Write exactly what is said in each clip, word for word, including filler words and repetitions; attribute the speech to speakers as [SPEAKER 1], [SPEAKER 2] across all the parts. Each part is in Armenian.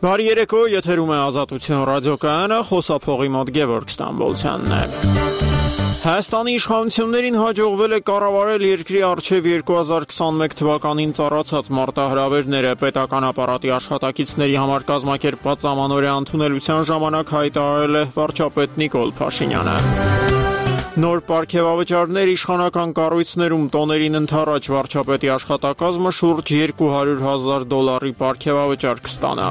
[SPEAKER 1] Բարի երեկո, եթերում է Ազատություն ռադիոկայանը, խոսափողի մոտ Գևորգ Ստամբոլցյանն է։ Հայաստանի իշխանություններին հաջողվել է կառավարել երկրի առջև երկու հազար քսանմեկ թվականին ծառացած մարտահրավերները, պետական ապարատի աշխատակիցների համար կազմակերպված ամանորյա ընդունելության ժամանակ հայտարարել է վարչապետ Նիկոլ Փաշինյանը։ Նոր պարգևավճարներ իշխանական կառույցներում տոներին ընդառաջ վարչապետի աշխատակազմը շուրջ երկու հարյուր հազար դոլարի պարգևավճար կստանա։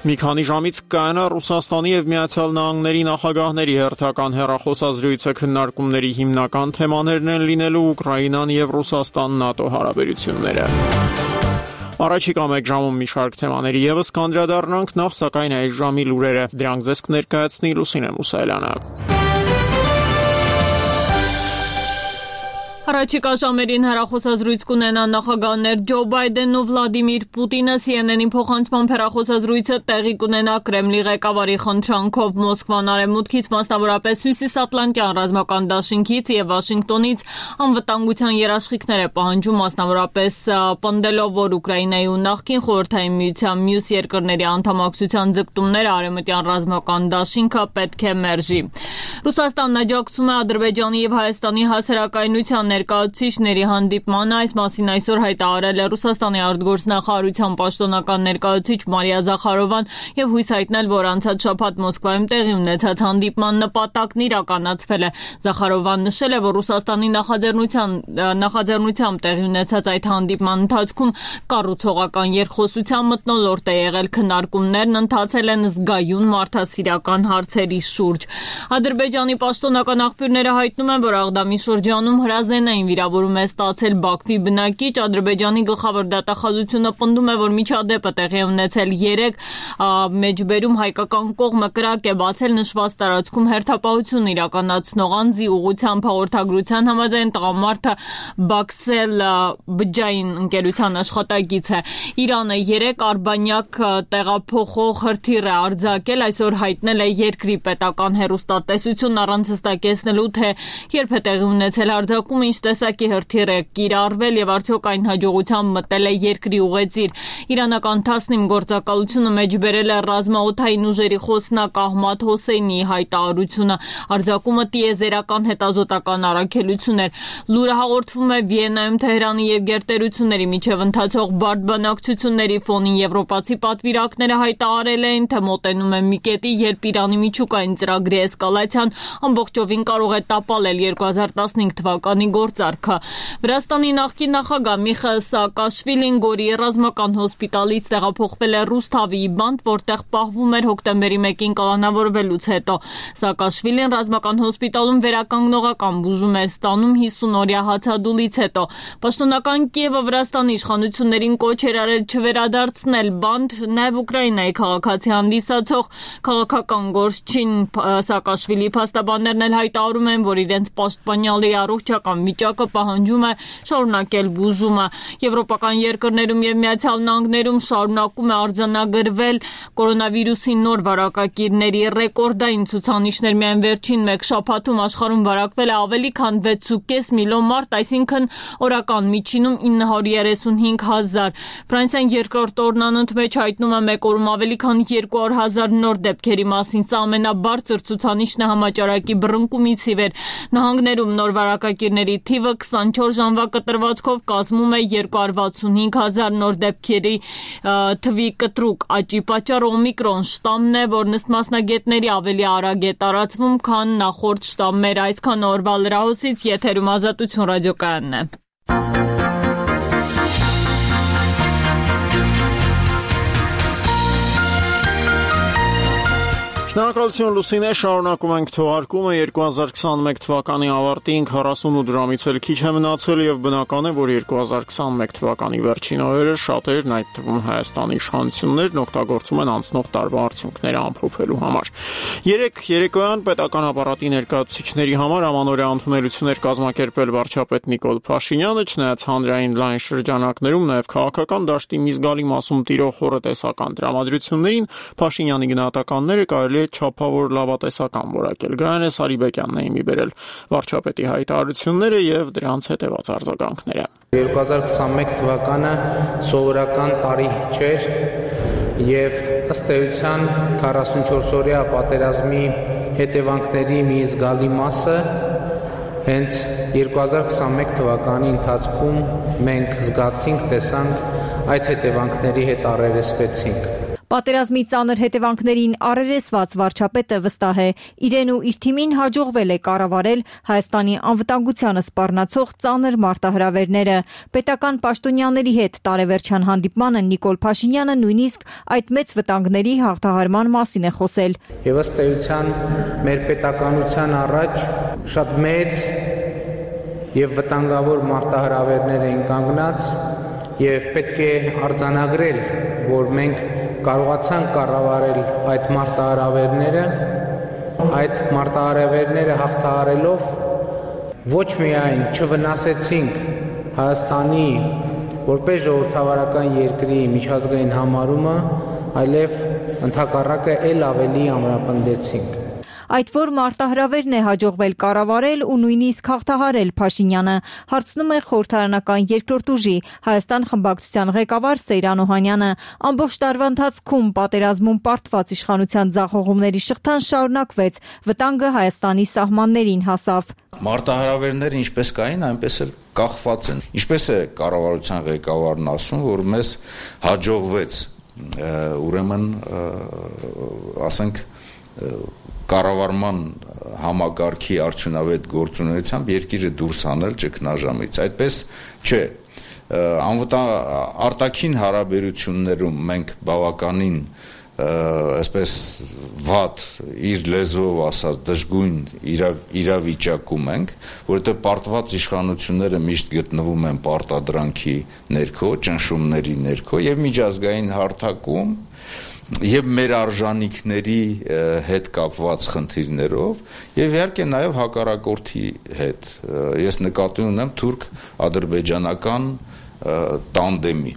[SPEAKER 1] Մի քանի ժամից կայանա Ռուսաստանի եւ Միացյալ Նահանգների նախագահների հերթական հեռախոսազրույցը, քննարկումների հիմնական թեմաներն են լինելու Ուկրաինան եւ Ռուսաստան-ՆԱՏՕ հարաբերությունները։ Առաջիկա մեկ ժամում մի շարք թեմաների եւս կանդրադառնանք, նախ սակայն այս ժամի լուրերը, դրանք ձեզ կներկայացնի Լուսինե Մուսայելյանը։
[SPEAKER 2] Առաջիկա ժամերին հեռախոսազրույց կունենան նախագահներ Ջո Բայդենն ու Վլադիմիր Պուտինը, Սի Են Են-ի փոխանցմամբ հեռախոսազրույցը տեղի կունենա Կրեմլի ղեկավարի խնդրանքով Մոսկվան արևմուտքից, մասնավորապես Հյուսիսատլանտյան ռազմական դաշինքից եւ Վաշինգտոնից անվտանգության երաշխիքներ է պահանջում, մասնավորապես պնդելով, որ Ուկրաինայի ու նախկին Խորհրդային Միության մյուս երկրների անդամակցության ձգտումները արևմտյան ռազմական դաշինքը պետք է մերժի։ Ռուսաստանն աջակցում է Ադրբեջանի եւ Հայաստանի հասարակայնության ներկայացուցիչների հանդիպմանը, այս մասին այսօր հայտարարել է Ռուսաստանի արտգործնախարարության պաշտոնական ներկայացուցիչ Մարիա Զախարովան եւ հույս հայտնել, որ անցած շաբաթ Մոսկվայում տեղի ունեցած հանդիպման նպատակն իրականացվել է։ Զախարովան նշել է, որ Ռուսաստանի նախաձեռնության նախաձեռնությամբ տեղի ունեցած այդ հանդիպման ընթացքում կառուցողական երկխոսության մթնոլորտ է եղել, քննարկումներն ընթացել են զգայուն մարդասիրական հարցերի շուրջ։ Ադրբեջանի պաշտոնական աղբյուրները հայտնում են, որ Աղդամի շրջանում հրազենային վիրավորում է ստացել Բաքվի բնակիչ։ Ադրբեջանի գլխավոր դատախազությունը պնդում է, որ միջադեպը տեղի ունեցել երեկ, մեջբերում հայկական կողմը կրակ է բացել նշված տարածքում հերթապահություն իրականացնող անձի ուղղությամբ հաղորդագրության համաձայն տղամարդը Բաքսել բջջային ընկերության աշխատակից է։ Իրանը երեք արբանյակ տեղափոխող հրթիռ է արձակել, այսօր հայտնել է երկրի պետական հեռուստատեսություն առանց հստակեցնելու, թե երբ է տեղի ունեցել արձակումը, ինչ տեսակի հրթիռ է կիրառվել եւ արդյոք այն հաջողությամբ մտել է երկրի ուղեծիր։ Իրանական տասնինը գործակալությունը մեջբերել է ռազմաօդային ուժերի խոսնակ Ահմադ Հոսեյնիի հայտարարությունը։ Արձակումը տիեզերական հետազոտական առաքելություն էր։ Լուրը հաղորդվում է Վիեննայում Թեհրանի եւ գերտերությունների միջև ընթացող բարդ բանակցությունների ֆոնին։ Եվրոպացի պատվիրակները հայտարարել էին, թե մոտենում է մի կետի, երբ Իրանի միջուկային ծրագրի էսկալացիան ամբողջովին կարող է տապալել երկու հազար տասնհինգ թվականի գործարքը։ Վրաստանի նախկին նախագահ Միխայիլ Սաակաշվիլին Գորի ռազմական հոսպիտալից տեղափոխվել է Ռուսթավիի բանտ, որտեղ պահվում էր հոկտեմբերի մեկին կալանավորվելուց հետո։ Սաակաշվիլին ռազմական հոսպիտալում վերականգնողական բուժում էր ստանում հիսուն-օրյա հացադուլից հետո։ Պաշտոնական Կիևը Վրաստանի իշխանություններին կոչ էր արել չվերադարձնել բանտ, նաև Ուկրաինայի քաղաքացի հանդիսացող քաղաքական գործչին Սաակաշվիլի փաստաբաններն էլ հայտարարում են, որ իրենց պաշտպանյալի առողջական վիճակը պահանջում է շարունակել բուժումը։ Եվրոպական երկրներում եւ Միացյալ Նահանգներում շարունակում է արձանագրվել կորոնավիրուսի նոր վարակակիրների ռեկորդային ցուցանիշներ։ Միայն վերջին մեկ շաբաթում աշխարհում վարակվել է ավելի քան վեց ու կես միլիոն մարդ, այսինքն օրական միջինում ինը հարյուր երեսունհինգ հազար։ Ֆրանսիան երկրորդ օրն անընդմեջ հայտնում է մեկ օրում ավելի քան երկու հարյուր հազար նոր դեպքերի մասին։ Սա ամենաբարձր ցուցանիշն է համաճարակի բռնկումից ի վեր։ Նահանգներում նոր վարակակիրների թիվը քսանչորս ժամվա կտրվածքով կազմում է երկու հարյուր վաթսունհինգ հազար նոր դեպքերի թվի կտրուկ աճի պատճառը օմիկրոն շտամն է, որն ըստ մասնագետների ավելի արագ է տարածվում, քան նախորդ շտամները։ Այսքան օրվա լրահոսից եթերում Ազատություն ռադիոկայանն է։
[SPEAKER 1] Շնորհակալություն Լուսինե, շարունակում ենք թողարկումը երկու հազար քսանմեկ թվականի ավարտին քառասունութ դրամից էլ քիչ է մնացել եւ բնական է, որ երկու հազար քսանմեկ թվականի վերջին օրերը շատերն, այդ թվում Հայաստանի իշխանություններն օգտագործում են անցնող տարվա արդյունքները ամփոփելու համար։ Երեք երեկոյան պետական ապարատի ներկայացուցիչների համար ամանորյա ընդունելություններ կազմակերպել վարչապետ Նիկոլ Փաշինյանը, չնայած հանրային լայն շրջանակներում նաեւ քաղաքական դաշտի մի զգալի մասում տիրող խորհրդեսական դրամատրություններին Փաշինյանի գնահատականները կարելի չափավոր լավատեսական որակել։ Գայանե Սարիբեկյանն է իմի բերել վարչապետի հայտարարությունները եւ դրանց հետեւած արձագանքները։
[SPEAKER 3] երկու հազար քսանմեկ թվականը սովորական տարի չէր եւ ըստ էության քառասունչորս-օրյա պատերազմի հետևանքների մի զգալի մասը հենց երկու հազար քսանմեկ թվականի ընթացքում մենք զգացինք, տեսանք, այդ հետևանքների հետ առերեսվեցինք։
[SPEAKER 4] Պատերազմի ծանր հետևանքներին առերեսված վարչապետը վստահ է, իրեն ու իր թիմին հաջողվել է կառավարել Հայաստանի անվտանգությանը սպառնացող ծանր մարտահրավերները։ Պետական պաշտոնյաների հետ տարեվերջյան հանդիպմանը Նիկոլ Փաշինյանը նույնիսկ այդ մեծ վտանգների հաղթահարման մասին է խոսել։
[SPEAKER 3] Եվ ըստ էության մեր պետականության առաջ շատ մեծ եւ վտանգավոր մարտահրավերներ էին կանգնած եւ պետք է արձանագրել, որ մենք կարողացանք կառավարել այդ մարտահրավերները, այդ մարտահրավերները հաղթահարելով ոչ միայն չվնասեցինք Հայաստանի որպես ժողովրդավարական երկրի միջազգային համարումը, այլև ընդհակառակը ել ավելի ամրապնդեցինք։
[SPEAKER 4] Այդ որ մարտահրավերն է հաջողվել կառավարել ու նույնիսկ հաղթահարել Փաշինյանը, հարցնում է խորհրդարանական երկրորդ ուժի Հայաստան խմբակցության ղեկավար Սեյրան Օհանյանը։ Ամբողջ տարվա ընթացքում պատերազմում պարտված իշխանության ձախողումների շղթան շարունակվեց, վտանգը Հայաստանի սահմաններին հասավ։
[SPEAKER 5] Մարտահրավերները ինչպես կային, այնպես էլ կախված են։ Ինչպես է կառավարության ղեկավարն ասում, որ մեզ հաջողվեց, ուրեմն ասենք կառավարման համակարգի արդյունավետ գործունեությամբ երկիրը դուրս հանել ճգնաժամից։ Այդպես չէ, արտաքին հարաբերություններում մենք բավականին այսպես վատ, իր լեզվով ասած, դժգույն իրավիճակում ենք, որովհետև պարտված իշխանությունները միշտ գտնվում են պարտադրանքի ներքո, ճնշումների ներքո եւ միջազգային հարթակում եւ մեր արժանինքների հետ կապված խնդիրներով եւ իհարկե նաեւ հակառակորդի հետ։ Ես նկատի ունեմ թուրք-ադրբեջանական տանդեմի։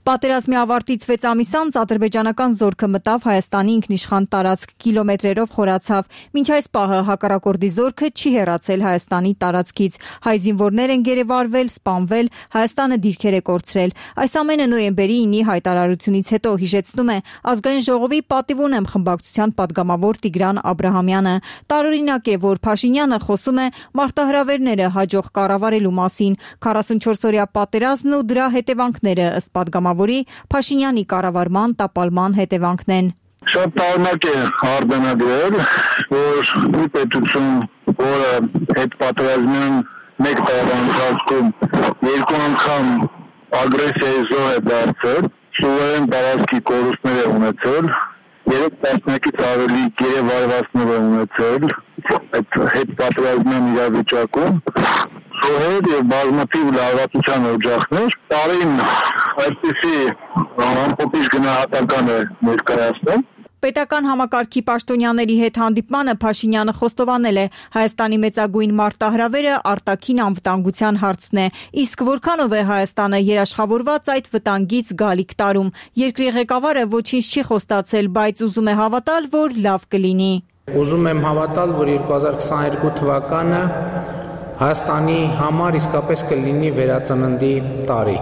[SPEAKER 4] Պատերազմի ավարտից վեց ամիս անց ադրբեջանական զորքը մտավ Հայաստանի ինքնիշխան տարածք, կիլոմետրերով խորացավ։ Մինչ այս պահը հակառակորդի զորքը չի հեռացել Հայաստանի տարածքից։ Հայ զինվորներ են գերեվարվել, սպանվել, Հայաստանը դիրքեր է կորցրել։ Այս ամենը նոյեմբերի ինի հայտարարությունից հետո, հիշեցնում է Ազգային ժողովի պատիվ ունեմ խմբակցության падգամավոր Տիգրան Աբրահամյանը։ Տարօրինակ է, որ Փաշինյանը խոսում է մարտահրավերները հաջող կառավարելու մասին։ քառասունչորս-օրյա պատերազմն ու դրա հետևանքները ըստ падգամավորի Փաշինյանի կառավարման տապալման հետևանքն են։
[SPEAKER 6] Շատ տարօրինակ է արձանագրել, որ մի պետություն, որը այդ պատերազմյան մեկ տարվա ընթացքում երկու անգամ ագրեսիայի զոհ է դարձել, սուվերեն տարածքի կորուստներ է ունեցել, երեք տասնյակից ավելի գերեվարվածներ է ունեցել այդ հետ պատերազմյան իրավիճակում, զոհեր եւ բազմաթիվ լարվածության օջախներ, տարին այսպիսի ամփոփիչ գնահատական է ներկայացնում։
[SPEAKER 4] Պետական համակարգի պաշտոնյաների հետ հանդիպմանը Փաշինյանը խոստովանել է Հայաստանի մեծագույն մարտահրավերը արտաքին անվտանգության հարցն է, իսկ որքանով է Հայաստանը երաշխավորված այդ վտանգից գալիք տարում։ Երկրի ղեկավարը ոչինչ չի խոստացել, բայց ուզում է հավատալ, որ լավ կլինի։
[SPEAKER 3] Ուզում եմ հավատալ, որ երկու հազար քսաներկու թվականը Հայաստանի համար իսկապես կլինի վերածննդի տարի։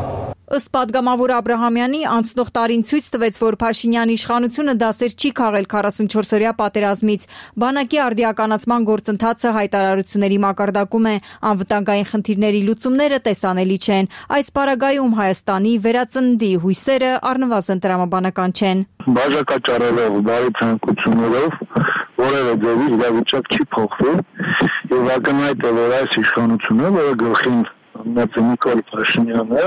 [SPEAKER 4] Ըստ падգամավոր Աբրահամյանի, անցնող տարին ցույց տվեց, որ Փաշինյանի իշխանությունը դասեր չի քաղել քառասունչորս-օրյա պատերազմից։ Բանակի արդիականացման գործընթացը հայտարարությունների մակարդակում է, անվտանգային խնդիրների լուծումները տեսանելի չեն։ Այս պարագայում Հայաստանի վերածննդի հույսերը առնվազն տրամաբանական չեն։
[SPEAKER 6] Բաժակաճառելով, բարի ցանկություններով որևէ ձևի իրավիճակ չի փոխվել եւ ակնհայտ է, որ այս իշխանությունը, որը գլխին ունեցել Նիկոլ Փաշինյանը,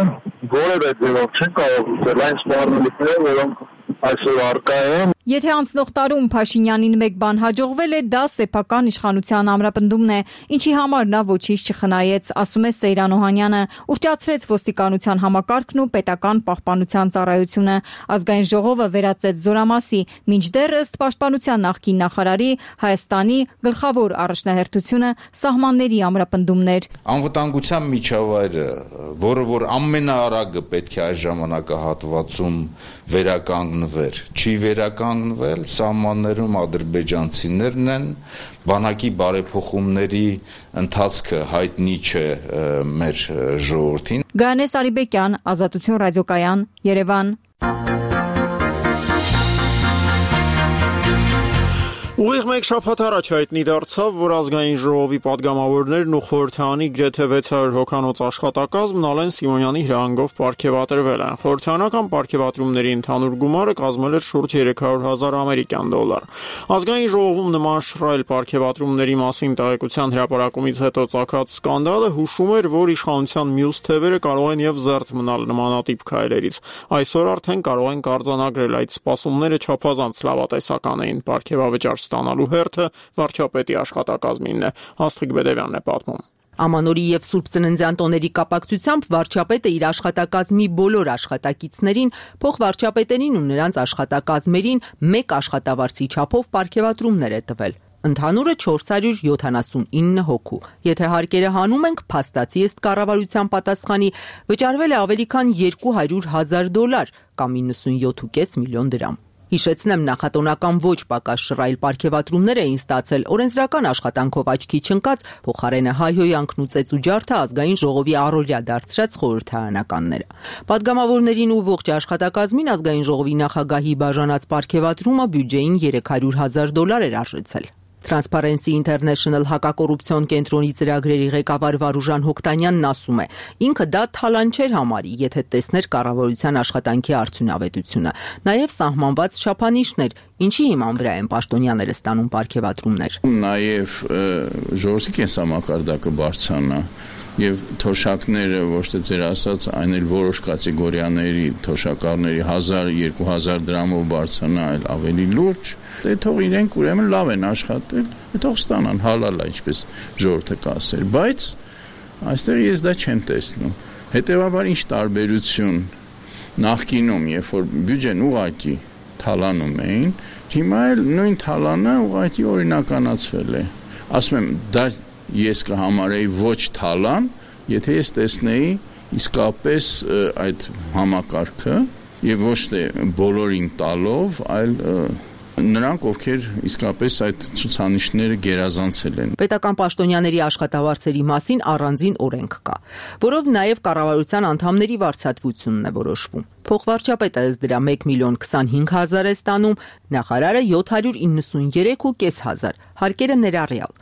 [SPEAKER 6] որևէ ձևով չի կարող լուծել այն սպառնալիքները, որոնք այսօր առկա են։
[SPEAKER 4] Եթե անցնող տարում Փաշինյանին մեկ բան հաջողվել է, դա սեփական իշխանության ամրապնդումն է, ինչի համար նա ոչինչ չխնայեց, ասում է Սեյրան Օհանյանը, ուռճացրեց ոստիկանության համակարգն ու պետական պահպանության ծառայությունը։ Ազգային ժողովը վերացեց զորամասի, մինչդեռ ըստ պաշտպանության նախկին նախարարի Հայաստանի գլխավոր առաջնահերթությունը սահմանների ամրապնդումն էր։
[SPEAKER 5] Անվտանգության միջավայրը, որը որ ամենաարագը պետք է այս ժամանակահատվածում վերականգնվեր, չի վերականգնվել, սահմաններում ադրբեջանցիներն են, բանակի բարեփոխումների ընթացքը հայտնի չէ մեր ժողովրդին։
[SPEAKER 4] Գայանե Սարիբեկյան, Ազատություն ռադիոկայան, Երևան։
[SPEAKER 1] Ուղիղ մեկ շաբաթ առաջ հայտնի դարձավ, որ ազգային ժողովի падգամավորներն ու խորհրդարանի գրեթե վեց հարյուր հոգանոց աշխատակազմ Նալեն Սիմոնյանի հրահանգով պարգևատրվել են։ Խորհրդարանական պարգևատրումների ընդհանուր գումարը կազմել էր շուրջ երեք հարյուր հազար ամերիկյան դոլար։ Ազգային ժողովում նման շռայլ պարգևատրումների մասին տեղեկության հրապարակումից հետո ծագած սկանդալը հուշում էր, որ իշխանության մյուս թևերը կարող են եւ զերծ մնալ նմանատիպ քայլերից։ Այսօր արդեն կարող են արձանագրել այդ սպասումները չափազանց լավատեսական էին։ Պարգևավճար ստանալու հերթը վարչապետի աշխատակազմինն է։ Աստղիկ Բեդևյանն է պատմում։
[SPEAKER 7] Ամանորի եւ Սուրբ Ծննդյան տոների կապակցությամբ վարչապետը իր աշխատակազմի բոլոր աշխատակիցներին, փոխվարչապետերին ու նրանց աշխատակազմերին մեկ աշխատավարձի չափով պարգևատրումներ է տվել։ Ընդհանուրը չորս հարյուր յոթանասունինը հոգու։ Եթե հարկերը հանում ենք, փաստացի ըստ կառավարության պատասխանի վճարվել է ավելի քան երկու հարյուր հազար դոլար կամ իննսունյոթ կόμμα պենս միլիոն դրամ։ Հիշեցնեմ, նախատոնական ոչ պակաս շռայլ պարգևատրումներ էին ստացել օրենսդրական աշխատանքով աչքի չընկած փոխարենը հայհոյանքն ու ծեծուջարդը ազգային ժողովի առօրյա դարձրած խորհրդարանականները։ Պատգամավորներին ու ողջ աշխատակազմին ազգային ժողովի նախագահի բաժանած պարգևատրումը բյուջեին երեք հարյուր հազար դոլար էր արժեցել։ Transparency International հակակոռուպցիոն կենտրոնի ծրագրերի ղեկավար Վարուժան Հոկտանյանն ասում է. ինքը դա թալան չէր համարի, եթե տեսներ կառավարության աշխատանքի արդյունավետությունը, նաև սահմանված չափանիշներ, ինչի հիման վրա են պաշտոնյաները ստանում պարգևատրումներ։
[SPEAKER 8] Նաև ժողովրդի կենսամակարդակը բարձրանա եւ թոշակները ոչ թե ձեր ասած, այն էլ որոշ կատեգորիաների թոշակառների հազար երկու հազար դրամով բարձրանա, այլ ավելի լուրջ, դե թող իրենք ուրեմն լավ են աշխատել, թող ստանան, հալալ է, ինչպես ժողովուրդը կասեր, բայց այստեղ ես դա չեմ տեսնում։ Հետևաբար ինչ տարբերություն նախկինում, երբ որ բյուջեն ուղղակի թալանում էին, հիմա էլ նույն թալանը ուղղակի օրինականացվել է։ Ասում եմ, դա ես կհամարեի ոչ թալան, եթե ես տեսնեի իսկապես այդ համակարգը եւ ոչ թե բոլորին տալով, այլ նրանք, ովքեր իսկապես այդ ցուցանիշները գերազանցել են։
[SPEAKER 7] Պետական պաշտոնյաների աշխատավարձերի մասին առանձին օրենք կա, որով նաև կառավարության անդամների վարձատրությունն է որոշվում։ Փոխվարչապետը ըստ դրա մեկ միլիոն քսանհինգ հազար է ստանում, նախարարը յոթ հարյուր իննսունյերեք ու կես հազար, հարկերը ներառյալ։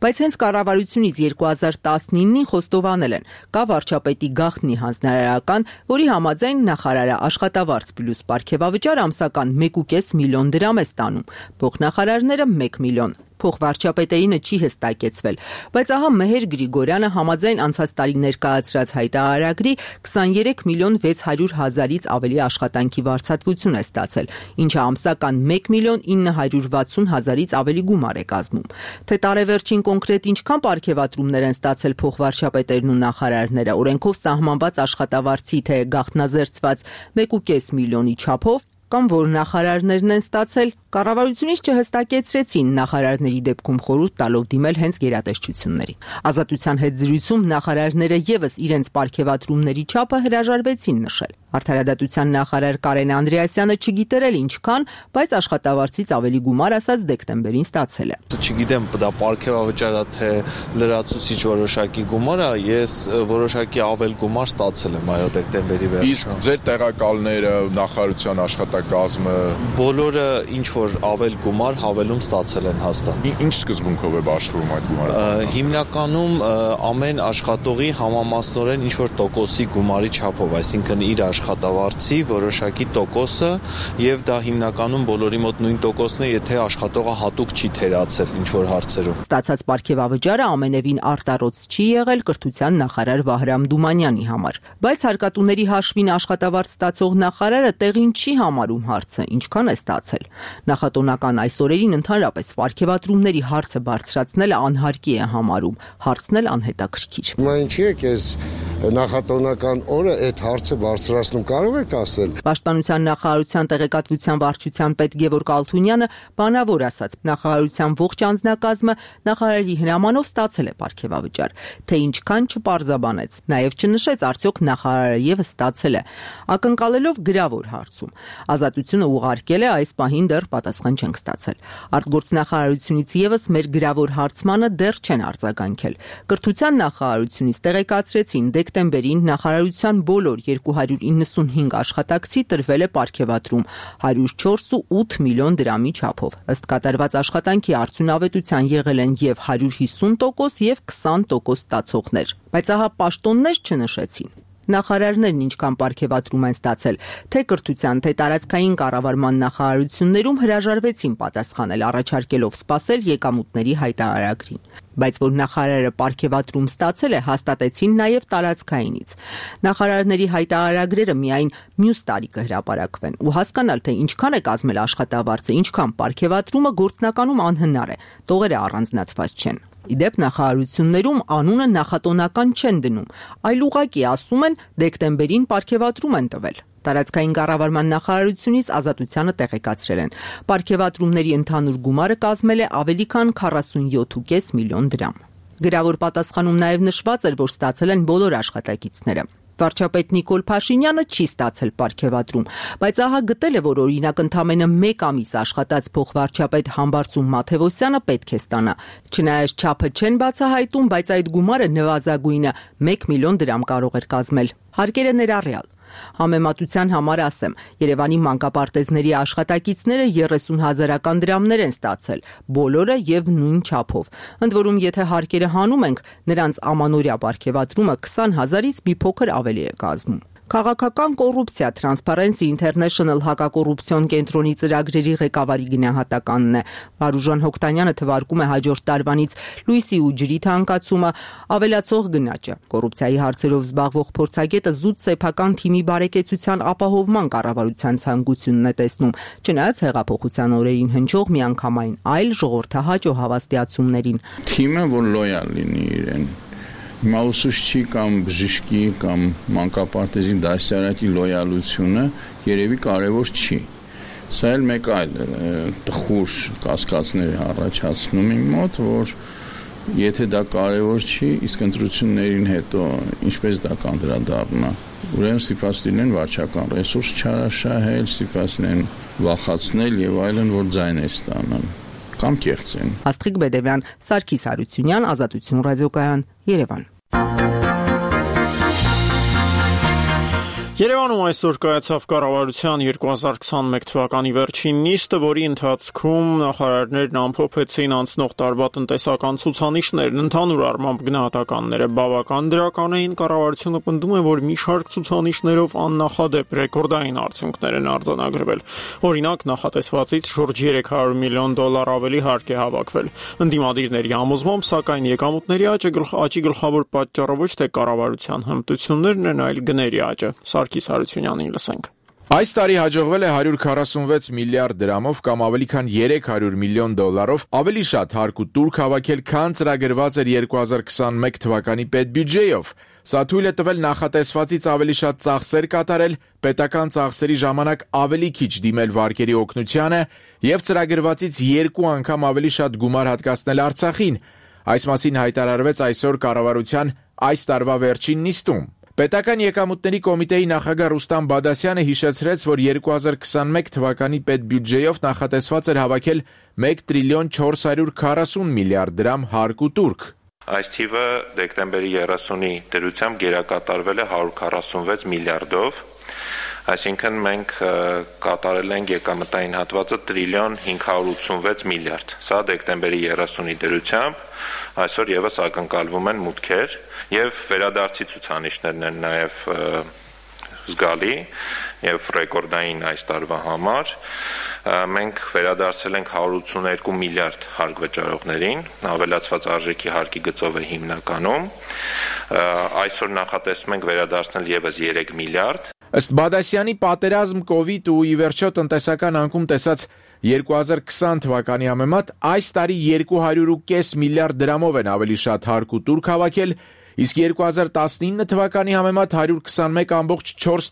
[SPEAKER 7] Բայց հենց կառավարությունից երկու հազար տասնինին խոստովանել են, կա վարչապետի գաղտնի հանձնարարական, որի համաձայն նախարարը աշխատավարձ պլյուս պարգևավճար ամսական մեկ ու կես միլիոն դրամ է ստանում, փոխնախարարները մեկ միլիոն։ Փոխվարչապետերինը չի հստակեցվել, բայց ահա Մեհեր Գրիգորյանը համաձայն անցած տարի ներկայացրած հայտարարագրի քսաներեք միլիոն վեց հարյուր հազարից ավելի աշխատանքի վարձատրություն է ստացել, ինչը ամսական մեկ միլիոն ինը հարյուր վաթսուն հազարից ավելի գումար է կազմում։ Թե տարեվերջին կոնկրետ ինչքան պարգևատրումներ են ստացել փոխվարչապետերն ու նախարարները, օրենքով սահմանված աշխատավարձի թե գաղտնազերծված մեկ ու կես միլիոնի չափով, կամ որ նախարարներն են ստացել, կառավարությունից չհստակեցրեցին, նախարարների դեպքում խորհուրդ տալով դիմել հենց գերատեսչություններին։ Ազատության հետ զրույցում նախարարները եւս իրենց պարգևատրումների չափը հրաժարվեցին նշել։ Արդարադատության նախարար Կարեն Անդրեասյանը չգիտեր էլ ինչքան, բայց աշխատավարձից ավելի գումար ասած դեկտեմբերին ստացել է։
[SPEAKER 9] Չգիտեմ, դա պարգևավճարա թե լրացուցիչ որոշակի գումար է, ես որոշակի ավել գումար ստացել եմ այո դեկտեմբերի վերջին։
[SPEAKER 10] Իսկ ձեր տեղակալները, նախարարության աշխատակազմը
[SPEAKER 9] բոլորը ինչ որ ավել գումար հավելում ստացել են հաստատ։
[SPEAKER 10] Ինչ սկզբունքով է աշխատում այդ գումարը։
[SPEAKER 9] Հիմնականում ամեն աշխատողի համամասնորեն ինչ որ տոկոսի գումարի չափով, այսինքն իր աշխատավարձի որոշակի տոկոսը եւ դա հիմնականում բոլորի մոտ նույն տոկոսն է, եթե աշխատողը հատուկ չի թերացել ինչ որ հարցերում։
[SPEAKER 7] Ստացած պարգևավճարը ամենևին արտարոց չի եղել կրթության նախարար Վահրամ Դումանյանի համար, բայց հարկատուների հաշվին աշխատավարձ ստացող նախարարը տեղին չի համարում հարցը, ինչքան է ստացել։ Նախատոնական այս օրերին ընդհանրապես պարգևատրումների հարցը բարձրացնելը անհարկի է համարում, հարցն էլ անհետաքրքիր։
[SPEAKER 11] Հիմա ինչի է քեզ նախատոնական օրը այդ հարցը բարձրացնում կարող եք ասել։
[SPEAKER 7] Պաշտպանության նախարարության տեղեկատվության վարչության պետ Գևորգ Ալթունյանը բանավոր ասաց, նախարարության ողջ անձնակազմը նախարարի հրամանով ստացել է պարգևավճար, թե ինչքան չպարզաբանեց, նաև չնշեց արդյոք նախարարը եւս ստացել է, ակնկալելով գրավոր հարցում։ Ազատությունը ուղարկել է այս պահին դեռ պատասխան չենք ստացել։ Արտգործնախարարությունից եւս մեր գրավոր հարցմանը դեռ չեն արձագանքել։ Կրթության նախարարությունից տեղեկացրեցին, դեկտեմբերին նախարարության բոլոր երկու հարյուր իննսունհինգ աշխատակցի տրվել է պարգևատրում հարյուր չորս ու ութ միլիոն դրամի չափով։ Ըստ կատարված աշխատանքի արդյունավետության եղել են եւ հարյուր հիսուն տոկոս եւ քսան տոկոս ստացողներ, բայց ահա պաշտոններ չնշեցին։ Նախարարներն ինչքան պարգևատրում են ստացել, թե կրթության, թե տարածքային կառավարման նախարարություններում հրաժարվեցին պատասխանել, առաջարկելով սպասել եկամուտների հայտարարագրին։ Բայց որ նախարարը պարգևատրում ստացել է, հաստատեցին նաև տարածքայինից։ Նախարարների հայտարարագրերը միայն մյուս տարի կհրապարակվեն ու հասկանալ, թե ինչքան է կազմել աշխատավարձը, ինչքան պարգևատրումը գործնականում անհնար է, տողերը առանձնացված չեն։ Իդեպ նախարարություններում անունը նախատոնական չեն դնում, այլ ուղղակի ասում են դեկտեմբերին պարգևատրում են տվել։ Տարածքային կառավարման նախարարությունից Ազատությանը տեղեկացրել են։ Պարգևատրումների ընդհանուր գումարը կազմել է ավելի քան քառասունյոթ ու կես միլիոն դրամ։ Գրավոր պատասխանում նաև նշված էր, որ ստացել են բոլոր աշխատակիցները։ Վարչապետ Նիկոլ Փաշինյանը չի ստացել պարգևատրում, բայց ահա գտել է, որ օրինակ ընդամենը մեկ ամիս աշխատած փոխվարչապետ Համբարձում Մաթևոսյանը պետք է ստանա։ Չնայած չափը չեն բացահայտում, բայց այդ գումարը նվազագույնը մեկ միլիոն դրամ կարող էր կազմել։ Հարկերը ներառյալ։ Համեմատության համար ասեմ, Երևանի մանկապարտեզների աշխատակիցները երեսուն հազարական դրամներ են ստացել, բոլորը եւ նույն չափով։ Ընդ որում, եթե հարկերը հանում ենք, նրանց ամանորյա պարգևատրումը քսան հազարից մի փոքր ավելի է կազմում։ Քաղաքական կոռուպցիա Transparency International հակակոռուպցիոն կենտրոնի ծրագրերի ղեկավարի գնահատականն է։ Վարուժան Հոկտանյանը թվարկում է հաջորդ տարվանից լույսի ու ջրի թանկացումը, ավելացող գնաճը։ Կոռուպցիայի հարցերով զբաղվող փորձագետը զուտ սեփական թիմի բարեկեցության ապահովման կառավարության ցանկությունն է տեսնում, չնայած հեղափոխության օրերին հնչող միանգամայն այլ ժողովրդահաճո հավաստիացումներին։
[SPEAKER 8] Թիմը, որ լոյալ լինի իրեն Հիմա ուսուցչի կամ բժշկի կամ մանկապարտեզի դասարանի լոյալությունը երևի կարևոր չի։ Սա էլ մեկ այլ տխուր կասկածներ առաջացնում իմ մոտ, որ եթե դա կարևոր չի, իսկ ընտրություններին հետո ինչպես դա կանդրադառնա։ Ուրեմն ստիպված լինեն վարչական ռեսուրս չարաշահել, ստիպված լինեն վախացնել եւ այլն, որ ձայներ ստանան կամ կեղծեն։
[SPEAKER 7] Աստղիկ Բեդևյան, Սարգիս Հարությունյան, Ազատություն ռադիոկայան, Երևան։
[SPEAKER 1] Երևանում այսօր կայացավ կառավարության երկու հազար քսանմեկ թվականի վերջին նիստը, որի ընթացքում նախարարներն ամփոփեցին անցնող տարվա տնտեսական ցուցանիշներն, ընդհանուր առմամբ գնահատականները բավական դրական էին, կառավարությունը պնդում է, որ մի շարք ցուցանիշներով աննախադեպ ռեկորդային արդյունքներ են արձանագրվել։ Օրինակ, նախատեսվածից շուրջ երեք հարյուր միլիոն դոլար ավելի հարկ է հավաքվել։ Ընդդիմադիրների համոզմամբ, սակայն եկամուտների աճի գլխավոր պատճառը ոչ թե կառավարության հմտություններն են, այլ գների աճը։ Սարգիս Հարությունյանին լսենք։
[SPEAKER 10] Այս տարի հաջողվել է հարյուր քառասունվեց միլիարդ դրամով կամ ավելի քան երեք հարյուր միլիոն դոլարով ավելի շատ հարկ ու տուրք հավաքել, քան ծրագրված էր երկու հազար քսանմեկ թվականի պետբյուջեով։ Սա թույլ է տվել նախատեսվածից ավելի շատ ծախսեր կատարել, պետական ծախսերի ժամանակ ավելի քիչ դիմել վարկերի օգնությանը եւ ծրագրվածից երկու անգամ ավելի շատ գումար հատկացնել Արցախին։ Այս մասին հայտարարվեց այսօր կառավարության այս տարվա վերջին նիստում։ Պետական եկամուտների կոմիտեի նախագահ Ռուստամ Բադասյանը հիշեցրեց, որ երկու հազար քսանմեկ թվականի պետբյուջեով նախատեսված էր հավաքել մեկ տրիլիոն չորս հարյուր քառասուն միլիարդ դրամ հարկ ու տուրք։
[SPEAKER 12] Այս թիվը դեկտեմբերի երեսունի դրությամբ գերակատարվել է հարյուր քառասունվեց միլիարդով, այսինքն մենք կատարել ենք եկամտային հատվածը տրիլիոն հինգ հարյուր ութսունվեց միլիարդ։ Սա դեկտեմբերի երեսունի դրությամբ այսօր եւս ակնկալվում են մուտքեր եւ վերադարձի ցուցանիշներն են նաեւ զգալի եւ ռեկորդային այս տարվա համար։ Մենք վերադարձել ենք հարյուր ութսուներկու միլիարդ հարկ վճարողներին, ավելացված արժեքի հարկի գծով է հիմնականում։ Այսօր նախատեսում ենք վերադարձնել եւս երեք միլիարդ։
[SPEAKER 10] Ըստ Բադասյանի, պատերազմ, կովիդ ու ի վերջո տնտեսական անկում տեսած երկու հազար քսան թվականի համեմատ այս տարի երկու հարյուր ու կես միլիարդ դրամով են ավելի շատ հարկ ու տուրք հավաքել, իսկ երկու հազար տասնինը թվականի համեմատ հարյուր քսանմեկ կόμma չորս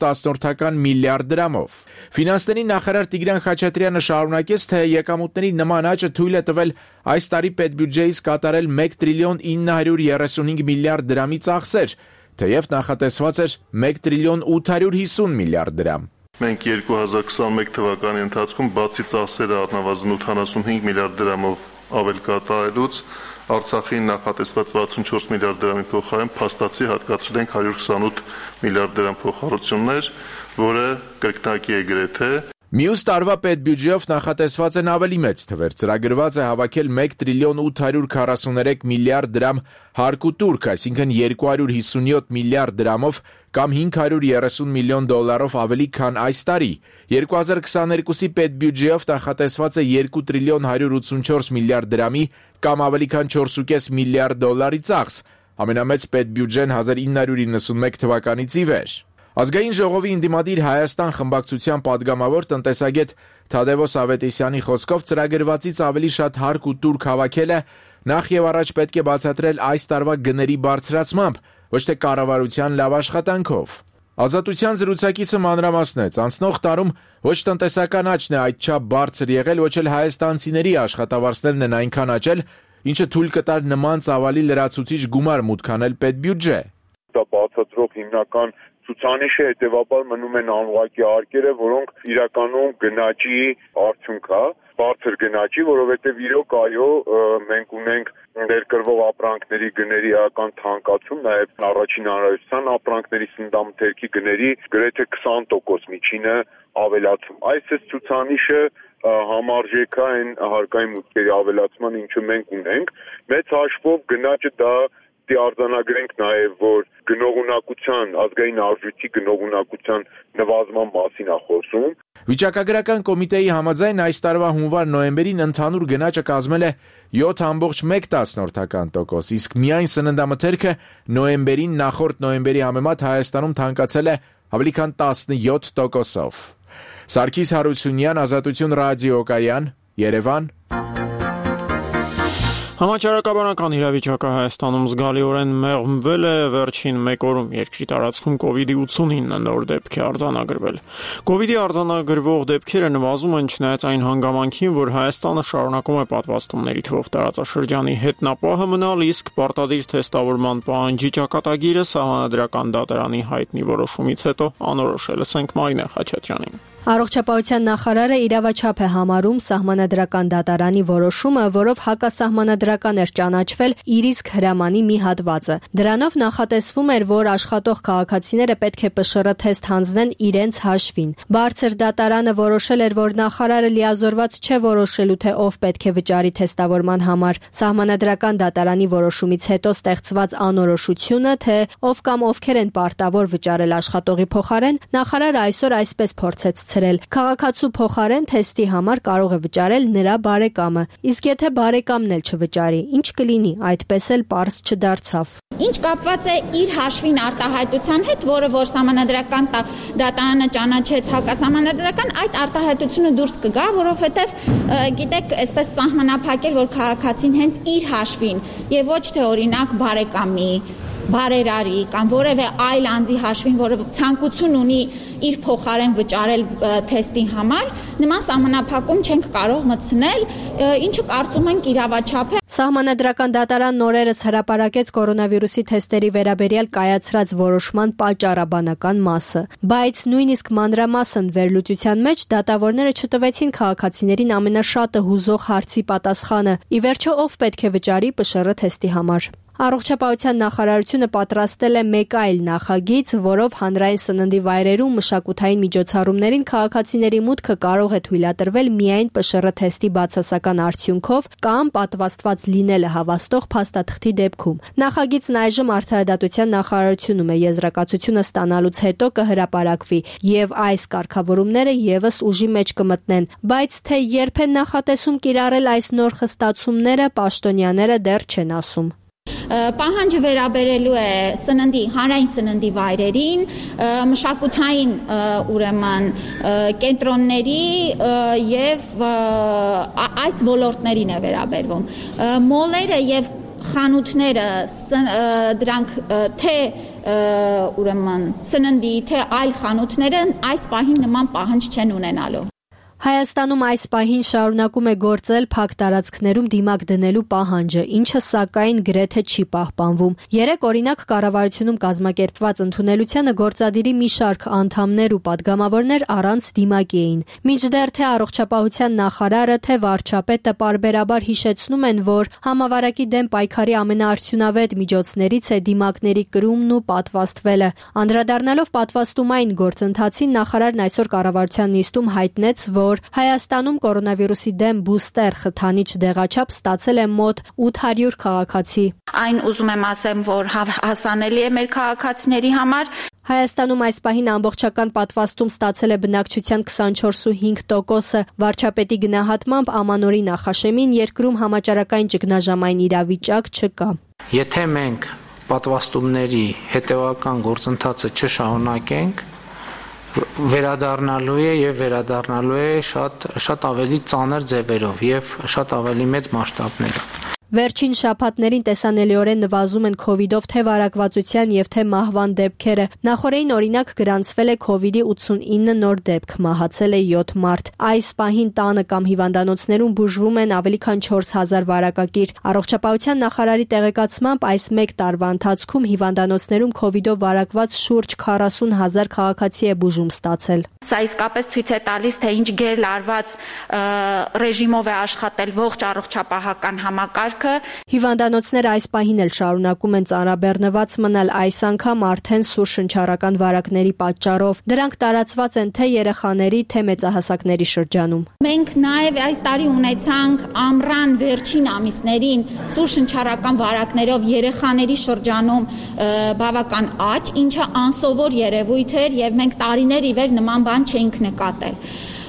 [SPEAKER 10] միլիարդ դրամով։ Ֆինանսների նախարար Տիգրան Խաչատրյանը շարունակեց, թե եկամուտների նման աճը թույլ է տվել այս տարի պետբյուջեից կատարել մեկ տրիլիոն ինը հարյուր երեսունհինգ միլիարդ դրամի ծախսեր, թեև նախատեսված էր մեկ տրիլիոն ութ հարյուր հիսուն միլիարդ դրամ։
[SPEAKER 13] Մենք երկու հազար քսանմեկ թվականի ընթացքում բացի ծախսերը առնվազն ութանասունհինգ միլիարդ դրամով ավել կատարելուց Արցախին նախատեսված վաթսունչորս միլիարդ դրամի փոխարեն փաստացի հատկացրել ենք հարյուր քսանութ միլիարդ դրամ փոխհարություններ, որը կրկնակի է գրեթե։
[SPEAKER 10] Մյուս տարվա պետբյուջեով նախատեսված են ավելի մեծ թվեր։ Ծրագրված է հավաքել մեկ տրիլիոն ութ հարյուր քառասուներեք միլիարդ դրամ հարկ ու տուրք, այսինքն երկու հարյուր հիսունյոթ միլիարդ դրամով կամ հինգ հարյուր երեսուն միլիոն դոլարով ավելի քան այս տարի։ երկու հազար քսաներկուսի պետբյուջեով նախատեսված է երկու տրիլիոն հարյուր ութսունչորս միլիարդ դրամի կամ ավելի քան չորս ու կես միլիարդ դոլարի ծախս, ամենամեծ պետբյուջեն հազար ինը հարյուր իննսունմեկ թվականից ի վեր։ Ազգային ժողովի ընդդիմադիր Հայաստան խմբակցության падգամավոր տնտեսագետ Թադևոս Ավետիսյանի խոսքով ծրագրվածից ավելի շատ հարկ ու տուրք հավաքելը նախ եւ առաջ պետք է բացատրել այս տարվա գների բարձրացմամբ, ոչ թե կառավարության լավ աշխատանքով։ Ազատության զրուցակիցը մանրամասնեց, անցնող տարում ոչ տնտեսական աճն է այդչափ բարձր եղել, ոչ էլ հայաստանցիների աշխատավարձներն են այնքան աճել, ինչը թույլ կտար նման ծավալի լրացուցիչ գումար մուտք անել պետբյուջե։
[SPEAKER 14] Դա բացատրող հիմնական ցուցանիշը հետևաբար մնում են անուղղակի արկերը, որոնք իրականում գնաճի արդյունք է, բարձր գնաճի, որովհետև իրոք այո, մենք ունենք ներկրվող ապրանքների գների էական թանկացում, նաև առաջին հանրայնության ապրանքների սննդամթերքի գների գրեթե քսան տոկոս միջինը ավելացում։ Այս է ցուցանիշը համարժեք է այն հարկային մուտքերի ավելացման, ինչը մենք ունենք։ Մեծ հաշվով գնաճը դա դի արձանագրենք նաև, որ գնողունակության, ազգային արժույթի գնողունակության նվազման մասին է խոսում։
[SPEAKER 10] Վիճակագրական կոմիտեի համաձայն այս տարվա հունվար-նոյեմբերին ընդհանուր գնաճը կազմել է յոթ ամբողջ մեկ տոկոս, իսկ միայն սննդամթերքը նոյեմբերին նախորդ նոյեմբերի համեմատ Հայաստանում թանկացել է ավելի քան տասնյոթ տոկոսով։ Սարգիս Հարությունյան, Ազատություն ռադիոկայան, Երևան։
[SPEAKER 1] Համաճարակաբանական իրավիճակը Հայաստանում զգալիորեն մեղմվել է, վերջին մեկ օրում երկրի տարածքում կովիդի ութսունինը նոր դեպք է արձանագրվել։ Կովիդի արձանագրվող դեպքերը նվազում են չնայած այն հանգամանքին, որ Հայաստանը շարունակում է պատվաստումների թվով տարածաշրջանի հետնապահը մնալ, իսկ պարտադիր թեստավորման պահանջի ճակատագիրը Սահմանադրական դատարանի հայտնի որոշումից հետո անորոշելս ենք Մարինե Խաչատրյանին։
[SPEAKER 15] Առողջապահության նախարարը իրավաչափ է համարում Սահմանադրական դատարանի որոշումը, որով հակասահմանադրական էր ճանաչվել իր իսկ հրամանի մի հատվածը։ Դրանով նախատեսվում էր, որ աշխատող քաղաքացիները պետք է Պ Շ Ռ թեստ հանձնեն իրենց հաշվին։ Բարձր դատարանը որոշել էր, որ նախարարը լիազորված չէ որոշելու, թե ով պետք է վճարի թեստավորման համար։ Սահմանադրական դատարանի որոշումից հետո ստեղծված անորոշությունը, թե ով կամ ովքեր են պարտավոր վճարել աշխատողի փոխարեն, նախարարը այսօր այսպես փորձեց Քաղաքացու փոխարեն թեստի համար կարող է վճարել նրա բարեկամը, իսկ եթե բարեկամն էլ չվճարի, ինչ կլինի, այդպես էլ պարզ չդարձավ։
[SPEAKER 16] Ինչ կապված է իր հաշվին արտահայտության հետ, որը որ Սահմանադրական դատարանը ճանաչեց հակասահմանադրական, այդ արտահայտությունը դուրս կգա, որովհետև գիտեք, այսպես սահմանափակել, որ քաղաքացին հենց իր հաշվին եւ ոչ թե օրինակ բարեկամի բարերարի կամ որևէ այլ անձի հաշվին, որը ցանկություն ունի իր փոխարեն վճարել թեստի համար, նման սահմանափակում չենք կարող մտցնել, ինչը կարծում ենք իրավաչափ է։
[SPEAKER 15] Սահմանադրական դատարանն օրերս հրապարակեց կորոնավիրուսի թեստերի վերաբերյալ կայացրած որոշման պատճառաբանական մասը, բայց նույնիսկ մանրամասն վերլուծության մեջ դատավորները չտվեցին քաղաքացիներին ամենաշատը հուզող հարցի պատասխանը՝ ի վերջո ով պետք է վճարի Պ Շ Ռ թեստի համար։ Առողջապահության նախարարությունը պատրաստել է մեկ այլ նախագիծ, որով հանրային սննդի վայրերում մշակութային միջոցառումներին քաղաքացիների մուտքը կարող է թույլատրվել միայն Պ Շ Ռ թեստի բացասական արդյունքով կամ պատվաստված լինելը հավաստող փաստաթղթի դեպքում։ Նախագիծն այժմ Արդարադատության նախարարությունում է, եզրակացությունը ստանալուց հետո կհրապարակվի եւ այս կարգավորումները եւս ուժի մեջ կմտնեն, բայց թե երբ են նախատեսում կիրառել այս նոր խստացումները, պաշտոնյաները դեռ չեն ասում։
[SPEAKER 16] Պահանջը վերաբերելու է սննդի, հանրային սննդի վայրերին, մշակութային ուրեմն կենտրոնների եւ այս ոլորտներին է վերաբերվում։ Մոլերը եւ խանութները դրանք թե ուրեմն սննդի, թե այլ խանութները այս պահին նման պահանջ չեն ունենալու։
[SPEAKER 15] Հայաստանում այս պահին շարունակում է գործել փակ տարածքներում դիմակ դնելու պահանջը, ինչը սակայն գրեթե չի պահպանվում։ Երեք օրինակ կառավարությունում կազմակերպված ընդունելությանը գործադիրի մի շարք անդամներ ու падգամավորներ առանց դիմակի էին։ Մինչդեռ թե առողջապահության նախարարը, թե վարչապետը պարբերաբար հիշեցնում են, որ համավարակի դեմ պայքարի ամենաարդյունավետ միջոցներից է դիմակների կրումն ու պատվաստվելը։ Անդրադառնալով պատվաստումային գործընթացին, նախարարն այսօր կառավարության նիստում հայտնեց, որ Հայաստանում կորոնավիրուսի դեմ բուստեր խթանիչ դեղաչափ ստացել է մոտ ութ հարյուր քաղաքացի։
[SPEAKER 16] Այն ուզում եմ ասեմ, որ հասանելի է մեր քաղաքացիների համար։
[SPEAKER 15] Հայաստանում այս պահին ամբողջական պատվաստում ստացել է բնակչության քսանչորս փոքր հինգ տոկոսը։ Վարչապետի գնահատմամբ ամանորի նախաշեմին երկրում համաճարակային ճգնաժամային իրավիճակ չկա։
[SPEAKER 3] Եթե մենք պատվաստումների հետևական գործընթացը չշարունակենք, վերադառնալու է եւ վերադառնալու է շատ շատ ավելի ծանր ձևերով եւ շատ ավելի մեծ մասշտաբներով։
[SPEAKER 15] Վերջին շաբաթներին տեսանելիորեն նվազում են քովիդով թե վարակվածության եւ թե մահվան դեպքերը։ Նախորդին օրինակ գրանցվել է քովիդի ութսունինը նոր դեպք, մահացել է յոթ մարդ։ Այս պահին տանը կամ հիվանդանոցներում բուժվում են ավելի քան չորս հազար վարակակիր։ Առողջապահության նախարարի տեղեկացմամբ այս մեկ տարվա ընթացքում հիվանդանոցներում քովիդով վարակված շուրջ քառասուն հազար քաղաքացի է բուժում ստացել։
[SPEAKER 16] Սա իսկապես ցույց է տալիս, թե ինչ գերլարված ռեժիմով է աշխատել ողջ առողջապահական համակարգը։
[SPEAKER 15] Հիվանդանոցները այս պահին էլ շարունակում են ծանրաբեռնված մնալ, այս անգամ արդեն սուր շնչառական վարակների պատճառով։ Դրանք տարածված են թե երեխաների, թե մեծահասակների շրջանում։
[SPEAKER 16] Մենք նաև այս տարի ունեցանք ամռան վերջին ամիսներին սուր շնչառական վարակներով երեխաների շրջանում բավական աճ, ինչը անսովոր երևույթ էր եւ մենք տարիներ ի վեր նման բան չէինք նկատել։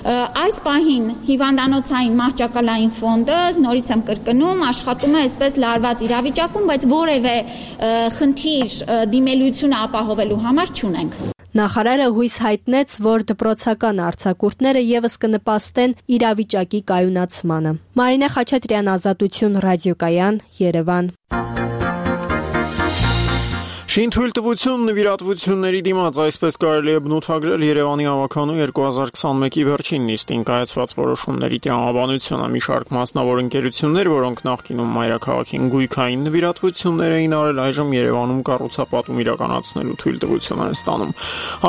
[SPEAKER 16] Այս պահին հիվանդանոցային մահճակալային ֆոնդը, նորից եմ կրկնում, աշխատում է այսպես լարված իրավիճակում, բայց որևէ խնդիր դիմելիությունը ապահովելու համար չունենք։
[SPEAKER 15] Նախարարը հույս հայտնեց, որ դպրոցական արձակուրդները եւս կնպաստեն իրավիճակի կայունացմանը։ Մարինե Խաչատրյան, Ազատություն, ռադիոկայան, Երևան։
[SPEAKER 1] Շինթույլտվություն նվիրատվությունների դիմաց, այսպես կարելի է բնութագրել Երևանի ավականու երկու հազար քսանմեկի վերջին նիստին կայացված որոշումների տրամաբանությունը։ Մի շարք մասնավոր ընկերություններ, որոնք նախկինում մայրաքաղաքին գույքային նվիրատվություններ էին արել, այժմ Երևանում կառուցապատում իրականացնելու թույլտվություն են ստանում։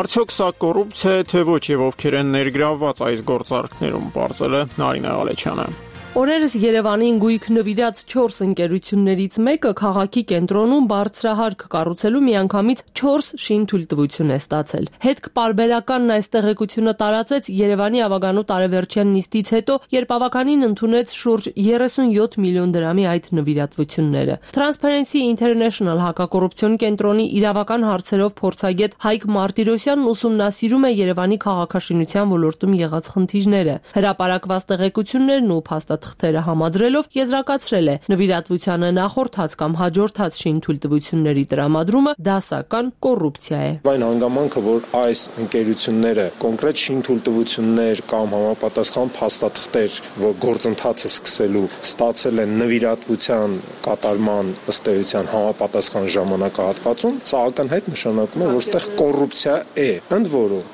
[SPEAKER 1] Արդյոք սա կոռուպցիա է, թե ոչ, եւ ովքեր են ներգրավված այս գործարքներում, պարզել է Նարինե Ղալեչյանը։
[SPEAKER 17] Օրերս Երևանին գույք նվիրած չորս ընկերություններից մեկը քաղաքի կենտրոնում բարձրահարկ կառուցելու միանգամից չորս շինթույլտվություն է ստացել։ Հետք պարբերականն այս տեղեկությունը տարածեց Երևանի ավագանու տարեվերջյան նիստից հետո, երբ ավականին ընդունեց շուրջ երեսունյոթ միլիոն դրամի այդ նվիրատվությունները։ Transparency International հակակոռուպցիոն կենտրոնի իրավական հարցերով փորձագետ Հայկ Մարտիրոսյանն ուսումնասիրում է Երևանի քաղաքաշինության ոլորտում եղած խնդիրները։ Հրապարակված տեղեկություններն ու փաստաթղթերը թղթերը համադրելով եզրակացրել է նվիրատվությանը նախորդած կամ հաջորդած շինթույլտվությունների տրամադրումը դասական կոռուպցիա է։
[SPEAKER 18] Այն հանգամանքը, որ այս ընկերությունները կոնկրետ շինթույլտվություններ կամ համապատասխան փաստաթղթեր, որ գործընթացը սկսելու ստացել են նվիրատվության կատարման ըստ էության համապատասխան ժամանակահատվածում, սա ակնհայտ նշանակում է, որ այստեղ կոռուպցիա է։ Ընդ որում,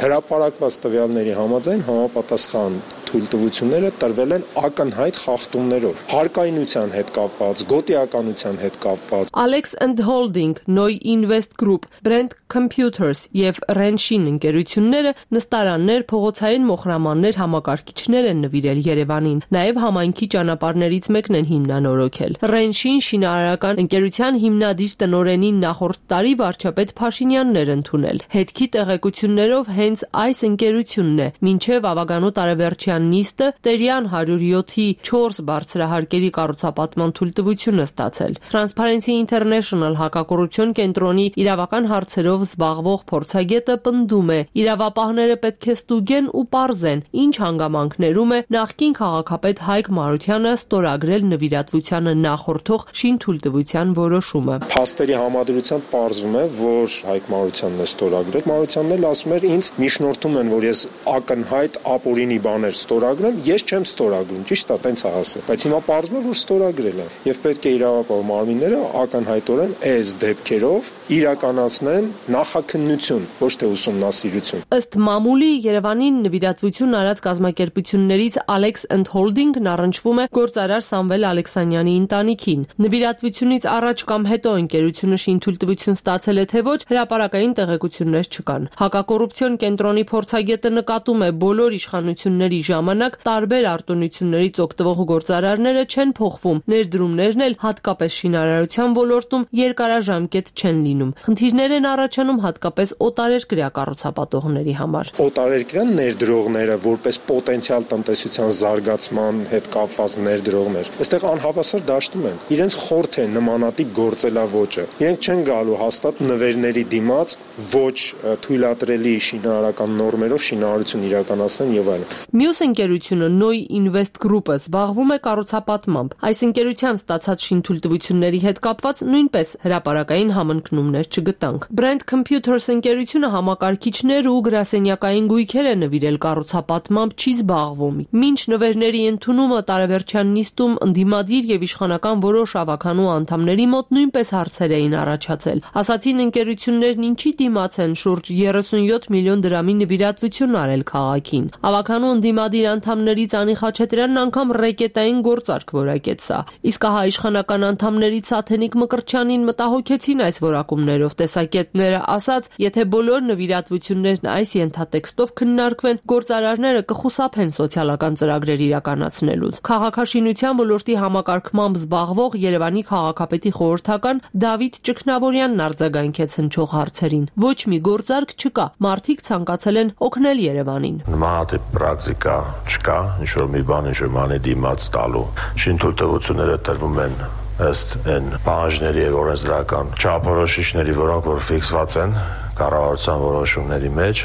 [SPEAKER 18] հրապարակված տվյալների համաձայն համապատասխան թույլտվությունները տրվել են ակնհայտ խախտումներով, հարկայնության հետ կապված, գոտիականության հետ կապված։
[SPEAKER 17] Alex and Holding, Noi Invest Group, Brand Computers եւ Renshin ընկերությունները նստարաններ, փողոցային մոխրամաններ, համակարգիչներ են նվիրել Երևանին։ Նաեւ համայնքի ճանապարհներից մեկն են հիմնանորոգել։ Renshin շինարարական ընկերության հիմնադիր տնօրենին նախորդ տարի վարչապետ Փաշինյանն էր ընդունել։ Հետքի տեղեկություններով հենց այս ընկերությունն է մինչեւ ավագանու տարեվերջյան նիստը Տերյան հարյուր յոթի չորս բարձրահարկերի կառուցապատման թույլտվությունը ստացել։ Transparency International հակակոռուպցիոն կենտրոնի իրավական հարցերով զբաղվող փորձագետը պնդում է, իրավապահները պետք է ստուգեն ու պարզեն, ինչ հանգամանքներում է նախկին քաղաքապետ Հայկ Մարությանը ստորագրել նվիրատվությանը նախորդող շինթույլտվության որոշումը։
[SPEAKER 18] Փաստերի համադրությամբ պարզվում է, որ Հայկ Մարությանն է ստորագրել։ Մարությանն էլ ասում էր, ինձ միջնորդում են, որ ես ակնհայտ ապօրինի բաներ ստորագրեմ, ես չեմ ստորագրում, ճիշտ է, տենց է ասել, բայց հիմա պարզվում է, որ ստորագրել են եւ պետք է իրավապահ մարմինները ակնհայտորեն այս դեպքերով իրականացնեն նախաքննություն, ոչ թե ուսումնասիրություն։
[SPEAKER 17] Ըստ մամուլի Երևանին նվիրատվություն արած կազմակերպություններից Alex and Holding-ն առնչվում է գործարար Սամվել Ալեքսանյանի ընտանիքին։ Նվիրատվությունից առաջ կամ հետո ընկերությունը շինթույլտվություն ստացել է թե ոչ, հրապարակային տեղեկություններ չկան։ Հակակոռուպցիոն կենտրոնի փորձագետը նկատում է, բոլոր իշխանությունների ժամանակ տարբեր արտոնություններից օգտվող գործարարները չեն փոխվում, ներդրումներն էլ հատկապես շինարարության ոլորտում երկարաժամկետ չեն լինում։ Խնդիրներ են առաջանում հատկապես օտարերկրյա կառուցապատողների համար։
[SPEAKER 18] Օտարերկրյա ներդրողները որպես պոտենցիալ տնտեսության զարգացման հետ կապված ներդրողներ, այստեղ անհավասար դաշտում են։ Իրենց խորթ է նմանատիպ գործելավոճը։ Իրենք չեն գալու հաստատ նվերների դիմաց ոչ թույլատրելի շինարարական նորմերով շինարարություն իրականացնեն եւ այլն։
[SPEAKER 17] Մյուս ընկերությունը Noy Invest Group-ը զբաղվում է կառուցապատմամբ։ Այս ընկերության ստացած շինթույլտվությունների հետ կապված նույնպես հրապարակային համընկնումներ չգտանք։ Brand Computers ընկերությունը համակարգիչներ ու գրասենյակային գույքեր է նվիրել կառուցապատմամբ, չի զբաղվում։ Մինչ նվերների ընդունումը տարեվերջյան նիստում ընդդիմադիր եւ իշխանական որոշ ավականու անդամների մոտ նույնպես հարցեր էին առաջացել։ Ասացին ընկերություններն ինչի դիմաց են շուրջ երեսունյոթ միլիոն դրամի նվիրատվություն արել քաղաքին։ Ավականու ընդդիմադիր անդամներից Անի Խաչատրյանն անգամ ռեկետային գործարք որակեց սա։ Իսկ ահա իշխանական անդամներից Աթենիկ Մկրտչյանին մտահոգեցին այս որակումներով տեսակետները, ասաց, եթե բոլոր նվիրատվություններն այս ենթատեքստով քննարկվեն, գործարարները կխուսափեն սոցիալական ծրագրեր իրականացնելուց։ Քաղաքաշինության ոլորտի համակարգմամբ զբաղվող Երևանի քաղաքապետի խորհրդական Դավիթ Ճգնավորյանն արձագանքեց հնչող հարցերին։ Ոչ մի գործարք չկա, մարդիկ ցանկացել են օգնել Երևանին։
[SPEAKER 19] Նմանատիպ պրակտիկա չկա, ինչ-որ մի բան, ինչ-որ բանի դիմաց տալու։ Շինթույլտվությունները տրվում են ըստ այն պահանջների եւ օրենսդրական չափորոշիչների, որոնք որ ֆիքսված են կառավարության որոշումների մեջ,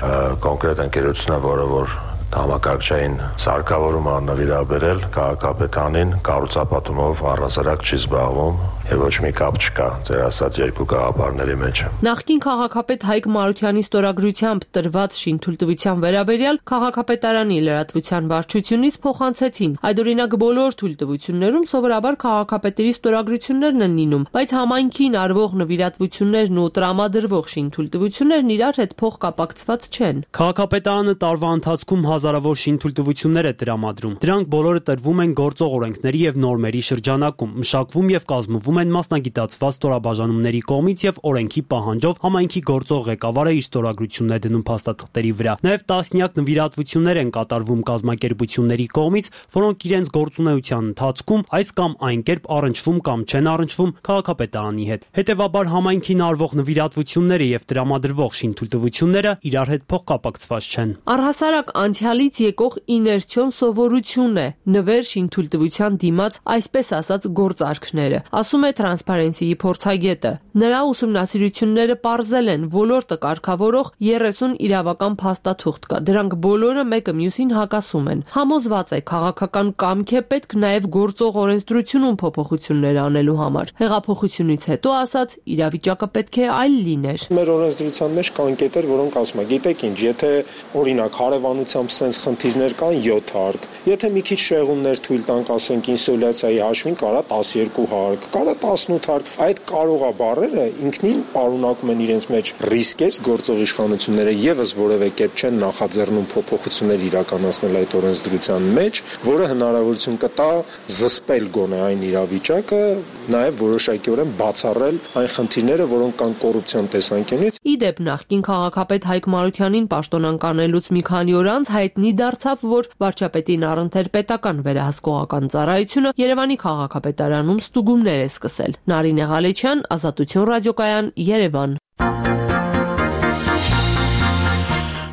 [SPEAKER 19] կոնկրետ ընկերությունը, որը որ համակարգչային սարքավորումը նվիրաբերել քաղաքապետանին, կառուցապատումով առհասարակ չի զբաղվում եւ ոչ մի կապ չկա ձեր ասած երկու գաղափարների մեջ։
[SPEAKER 17] Նախկին քաղաքապետ Հայկ Մարությանի ստորագրությամբ տրված շինթույլտվության վերաբերյալ քաղաքապետարանի լրատվության վարչությունից փոխանցեցին։ Այդօրինակ բոլոր թույլտվություններում սովորաբար քաղաքապետերի ստորագրություններն են լինում, բայց համայնքին արվող նվիրատվություններն ու տրամադրվող շինթույլտվություններն իրար հետ փոխկապակցված չեն։
[SPEAKER 20] Քաղաքապետարանը տարվա ընթացքում հազարավոր շինթույլտվություններ է տրամադրում։ Դրանք բոլորը տրվում են գործող օրենքների եւ նորմերի շրջանակում, մշակվում եւ կազմվում են մասնագիտացված ստորաբաժանումների կողմից եւ օրենքի պահանջով համայնքի գործող ղեկավարը իր ստորագրությունն է դնում փաստաթղթերի վրա։ Նաեւ տասնյակ նվիրատվություններ են կատարվում կազմակերպությունների կողմից, որոնք իրենց գործունեության ընթացքում այս կամ այն կերպ առնչվում կամ չեն առնչվում քաղաքապետարանի հետ։ Հետևաբար համայնքին արվող նվիրատվությունները եւ տրամադրվող շինթույլտվությունները իրար հետ փոխկապակցված չեն։
[SPEAKER 17] Առհասարակ անցյալից եկող իներցիոն սովորություն է նվեր շինթույլտվության դիմաց այսպես ասած գործարքները, ասում է Transparency-ի փորձագետը։ Նրա ուսումնասիրությունները պարզել են ոլորտը կարգավորող երեսուն իրավական փաստաթուղթ կա։ Դրանք բոլորը մեկը մյուսին հակասում են։ Համոզված է քաղաքական կամք է պետք նաև գործող օրենսդրությունում փոփոխություններ անելու համար։ Հեղափոխությունից հետո ասած իրավիճակը պետք է այլ լիներ։
[SPEAKER 18] Մեր օրենսդրության մեջ կան կետեր, որոնք ասում են, գիտեք ինչ, եթե օրինակ հարևանությամբ սենց խնդիրներ կան յոթ հարկ, եթե մի քիչ շեղումներ թույլ տանք, ասենք ինսոլյացիայի հաշվին կարա տասներկու հարկ, կարա տասնութ հարկ, այդ կարողա բառերը ինքնին պարունակում են իրենց մեջ ռիսկեր, գործող իշխանությունները եւս որևէ կերպ չեն նախաձեռնում փոփոխություններ իրականացնել այդ օրենսդրության մեջ, որը հնարավորություն կտա զսպել գոնե այն իրավիճակը, նաեւ որոշակիորեն բացառել այն խնդիրները, որոնք կան կոռուպցիոն տեսանկյունից։
[SPEAKER 17] Իդեպ նախկին քաղաքապետ Հայկ Մարությանին պաշտոնանկանելուց մի քանի օր անց հայտնի դարձավ, որ վարչապետին առընթեր պետական վերահսկողական ծառայությունը Երևանի քաղաքապետարանում ստուգումներ է սկսել։ Նարինե Ղալեչյան, Ազատություն ռադիոկայան, Երևան։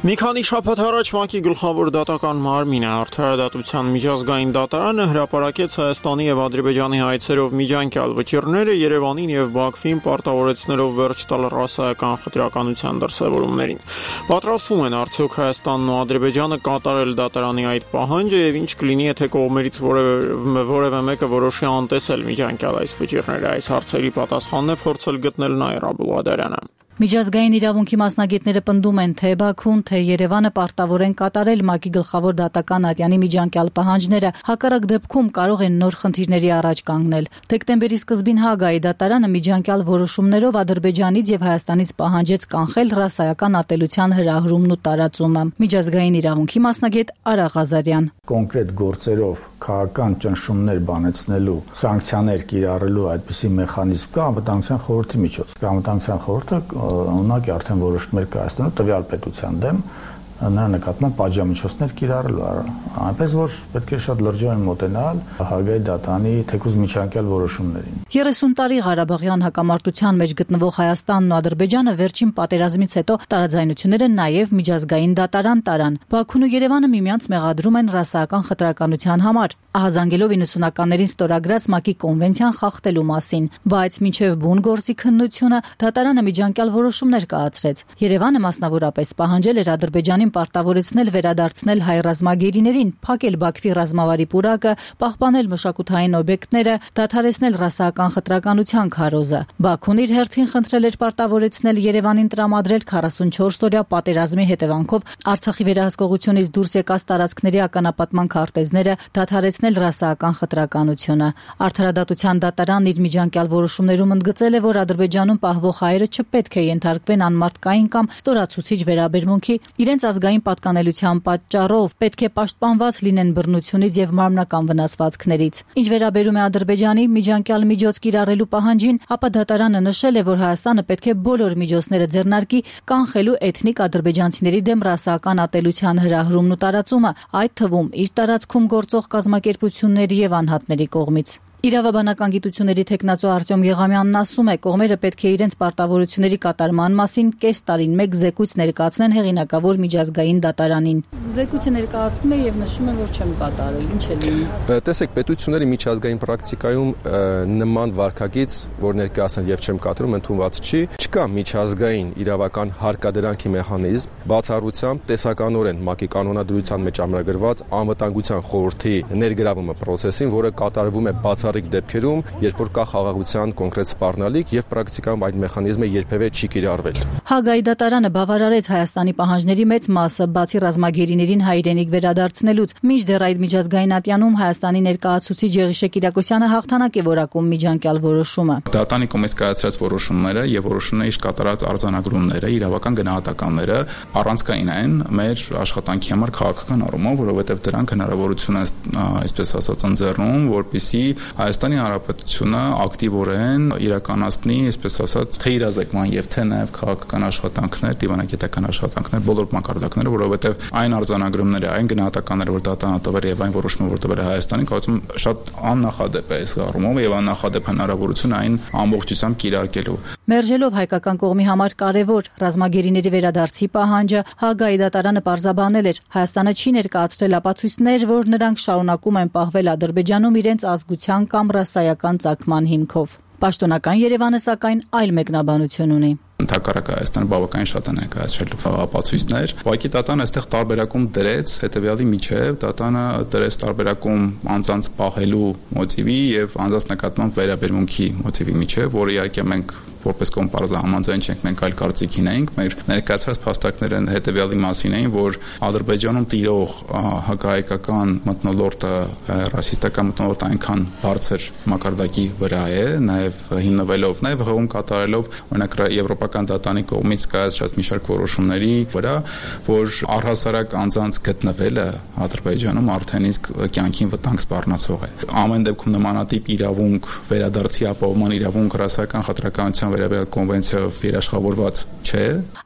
[SPEAKER 1] Մի քանի շաբաթ առաջ ՄԱԿ-ի գլխավոր դատական մարմինը Արդարադատության միջազգային դատարանը հրապարակեց Հայաստանի եւ Ադրբեջանի հայցերով միջանկյալ վճիռները Երևանին եւ Բաքվին պարտավորեցնելով վերջ տալ ռասայական խտրականության դրսևորումներին։ Պատրաստվում են արդյոք Հայաստանն ու Ադրբեջանը կատարել դատարանի այդ պահանջը եւ ինչ կլինի, եթե կողմերից որևէ որևէ մեկը որոշի անտեսել միջանկյալ այս վճիռները։ Այս հարցերի պատասխանն է փորձել գտնել Նաիրա Բուլադարյանը։
[SPEAKER 21] Միջազգային իրավունքի մասնագետները պնդում են, թե Բաքուն, թե Երևանը պարտավոր են կատարել ՄԱԿ-ի գլխավոր դատական ատյանի միջանկյալ պահանջները, հակառակ դեպքում կարող են նոր խնդիրների առաջ կանգնել։ Դեկտեմբերի սկզբին Հագայի դատարանը միջանկյալ որոշումներով Ադրբեջանից եւ Հայաստանից պահանջեց կանխել ռասայական ատելության հրահրումն ու տարածումը։ Միջազգային իրավունքի մասնագետ Արա Ղազարյան.
[SPEAKER 22] Կոնկրետ գործերով քաղաքական ճնշումներ բանեցնելու, սանկցիաներ կիրառելու այդպիսի մեխանիզմ կա անվտանգության խորհրդի միջոցով։ Անվտանգության խորհուրդը ունակ է արդեն որոշումներ կայացնելու տվյալ պետության դեմ նրա նկատմամբ պատժամիջոցներ կիրառելու։ Այնպես որ պետք է շատ լրջորեն մոտենալ Հագայի դատանի թեկուզ միջանկյալ որոշումներին։
[SPEAKER 21] երեսուն տարի Ղարաբաղյան հակամարտության մեջ գտնվող Հայաստանն ու Ադրբեջանը վերջին պատերազմից հետո տարաձայնությունները նաև միջազգային դատարան տարան։ Բաքուն ու Երևանը միմյանց մեղադրում են ռասայական խտրականության համար, ահազանգելով իննսունականներին ստորագրած ՄԱԿ-ի կոնվենցիան խախտելու մասին, բայց մինչև բուն գործի քննությունը դատարանը միջանկյալ որոշումներ կայացրեց։ Երևանը մասնավորապես պահանջել էր Ադրբեջանին պարտավորեցնել վերադարձնել հայ ռազմագերիներին, փակել Բաքվի ռազմավարի պուրակը, պահպանել մշակութային օբյեկտները, դադարեցնել ռասայական խտրականության քարոզը։ Բաքուն իր հերթին խնդրել էր պարտավորեցնել Երևանին տրամադրել քառասունչորս օրյա պատերազմի հետևանքով Արցախի վերահսկողությունից դուրս եկած տարածքների ականապատման քարտեզները, դադարեցնել ռասայական խտրականությունը։ Արդարադատության դատարանն իր միջանկյալ որոշումներում ընդգծել է, որ Ադրբեջանում պահվող հայերը չպետք է ենթարկվեն անմարդկային կամ ստորացուցիչ վերաբերմունքի, իրենց ազգային պատկանելիության պատճառով պետք է պաշտպանված լինեն բռնությունից եւ մարմնական վնասվածքներից։ Ինչ վերաբերում է Ադրբեջանի միջանկյալ միջոց կիրառելու պահանջին, ապա դատարանը նշել է, որ Հայաստանը պետք է բոլոր միջոցները ձեռնարկի կանխելու էթնիկ ադրբեջանցիների դեմ ռասայական ատելության հրահրումն ու տարածումը, այդ թվում իր տարածքում գործող կազմակերպությունների եւ անհատների կողմից։ Իրավաբանական գիտությունների թեկնածու Արտյոմ Եղամյանն ասում է, կողմերը պետք է իրենց պարտավորությունների կատարման մասին կես տարին մեկ զեկույց ներկայացնեն հեղինակավոր միջազգային դատարանին։ Զեկույցը ներկայացնում է եւ նշում է, որ չեմ կատարել, ինչ է լինում։
[SPEAKER 23] Տեսեք, պետությունների միջազգային պրակտիկայում նման վարքագիծ, որ ներկայացնել եւ չեմ կատարում, ընդունված չի, չկա միջազգային իրավական հարկադրանքի մեխանիզմ, բացառությամբ տեսականորեն ՄԱԿ-ի կանոնադրության մեջ ամրագրված անվտանգության խորհրդի ներգրավումը process-ին, որը կատարվում է բացառիկ դեպքերում, երբ որ կա խաղաղության կոնկրետ սպառնալիք եւ պրակտիկայում այդ մեխանիզմը երբևէ չի կիրառվել։
[SPEAKER 21] Հագայի դատարանը բավարարեց Հայաստանի պահանջների մեծ մասը, բացի ռազմագերիներին հայրենիք վերադարձնելուց, մինչդեռ այդ միջազգային ատյանում Հայաստանի ներկայացուցիչ Եղիշե Կիրակոսյանը հաղթանակ է որակում միջանկյալ որոշումը։
[SPEAKER 24] Դատարանի կողմից կայացրած որոշումները եւ որոշումների կատարած արձանագրումները, իրավական գնահատականները առանցքային են մեր աշխատանքի համար քաղաքական առումով, որովհետեւ դրանք հնարավորություն են, այսպես ասած, ընձեռում, որպեսզի Հայաստանի Հանրապետությունը ակտիվորեն իրականացնի, այսպես ասած, թե իրազեկման եւ թե նաեւ քաղաքական աշխատանքներ, դիվանագիտական աշխատանքներ, բոլոր մակարդակները, որովհետեւ այն արձանագրումները, այն գնահատականները, որ դատարանը տվել է եւ այն որոշումը, որ տվել է Հայաստանին, կարծում եմ շատ աննախադեպ է այս առումով եւ աննախադեպ հնարավորություն այն ամբողջությամբ կիրարկելու։
[SPEAKER 21] Մերժելով հայկական կողմի համար կարևոր ռազմագերիների վերադարձի պահանջը, Հագայի դատարանը պարզաբանել էր, Հայաստանը չի ներկայացրել ապացույցներ, որ նրանք շարունակում են պահվել Ադրբեջանում իրենց ազգության կամ ռասայական ծագման հիմքով։ Պաշտոնական Երևանը սակայն այլ մեկնաբանություն ունի։
[SPEAKER 24] Ընդհակառակը Հայաստանը բավականին շատ է ներկայացրել ապացույցներ։ Ուղղակի դատանը այստեղ տարբերակում դրեց հետեւյալի միջև, դատանը դրեց տարբերակում անձանց պահելու մոտիվի եւ անձանց նկատմամբ վերաբերմունքի մոտիվի միջև, որը իհարկե մենք որպես կոմպարզա համաձայն չենք, մենք այլ կարծիքին էինք, մեր ներկայացրած փաստարկները հետեւյալի մասին էին, որ Ադրբեջանում տիրող հակահայկական մթնոլորտը, ռասիստական մթնոլորտը այնքան բարձր մակարդակի վրա է, նաեւ հիմնվելով, նաեւ հողում կատարելով օրինակ եվրոպական դատարանի կողմից կայացրած մի շարք որոշումների վրա, որ առհասարակ անձանց գտնվելը Ադրբեջանում արդեն իսկ կյանքին վտանգ սպառնացող է։ Ամեն դեպքում նմանատիպ իրավունք, վերադարձի ապահովման իրավունք ռասայական խտրականության վերաբերյալ կոնվենցիայով երաշխավորված չէ։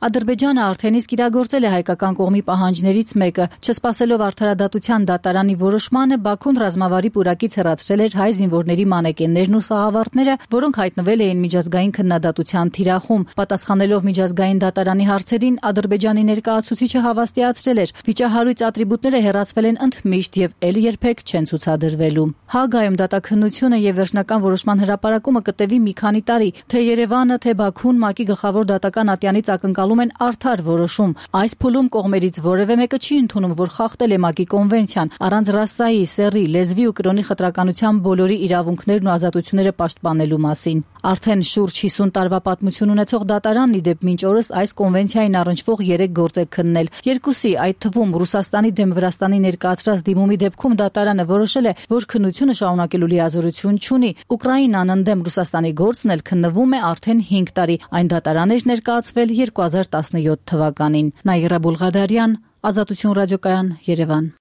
[SPEAKER 21] Ադրբեջանը արդեն իսկ իրագործել է հայկական կողմի պահանջներից մեկը, չսպասելով արդարադատության դատարանի որոշմանը, Բաքուն ռազմավարի պուրակից հեռացրել էր հայ զինվորների մանեկեններն ու սաղավարտները, որոնք հայտնվել էին միջազգային քննադատության թիրախում։ Պատասխանելով միջազգային դատարանի հարցերին, Ադրբեջանի ներկայացուցիչը հավաստիացրել էր, վիճահարույց ատրիբուտները հեռացվել են ընդմիշտ եւ ել երբեք չեն ցուցադրվելու։ Հագայում դատաքննությունը եւ վերջնական որոշման հրապարակումը կտևի մի քանի տարի, թե Երևանը, թե Բաքուն ՄԱԿ-ի գլխավոր դատական ատյանից ակնկալում են արդար որոշում։ Այս փուլում կողմերից որևէ մեկը չի ընդունում, որ խախտել է ՄԱԿ-ի կոնվենցիան, առանց ռասայի, սեռի, լեզվի ու կրոնի խտրականության բոլորի իրավունքներն ու ազատությունները պաշտպանելու մասին։ Արդեն շուրջ հիսուն տարվա պատմություն ունեցող դատարանն ի դեպ մինչ օրս այս կոնվենցիային առնչվող երեք գործ է քննել։ Երկուսի, այդ թվում Ռուսաստանի դեմ Վրաստանի ներկայացրած դիմումի դեպքում դատարանը որոշել է, որ քննությունը շարունակելու լիազորություն չունի։ Ուկրաինան ընդդեմ Ռուսաստանի գործն էլ քննվում է արդեն հինգ տարի։ Այն դատարան էր ներկայացվել երկու հազար տասնյոթ թվականին։ Նաիրա Բուլղադարյան, Ազատություն ռադիոկայան, Երևան։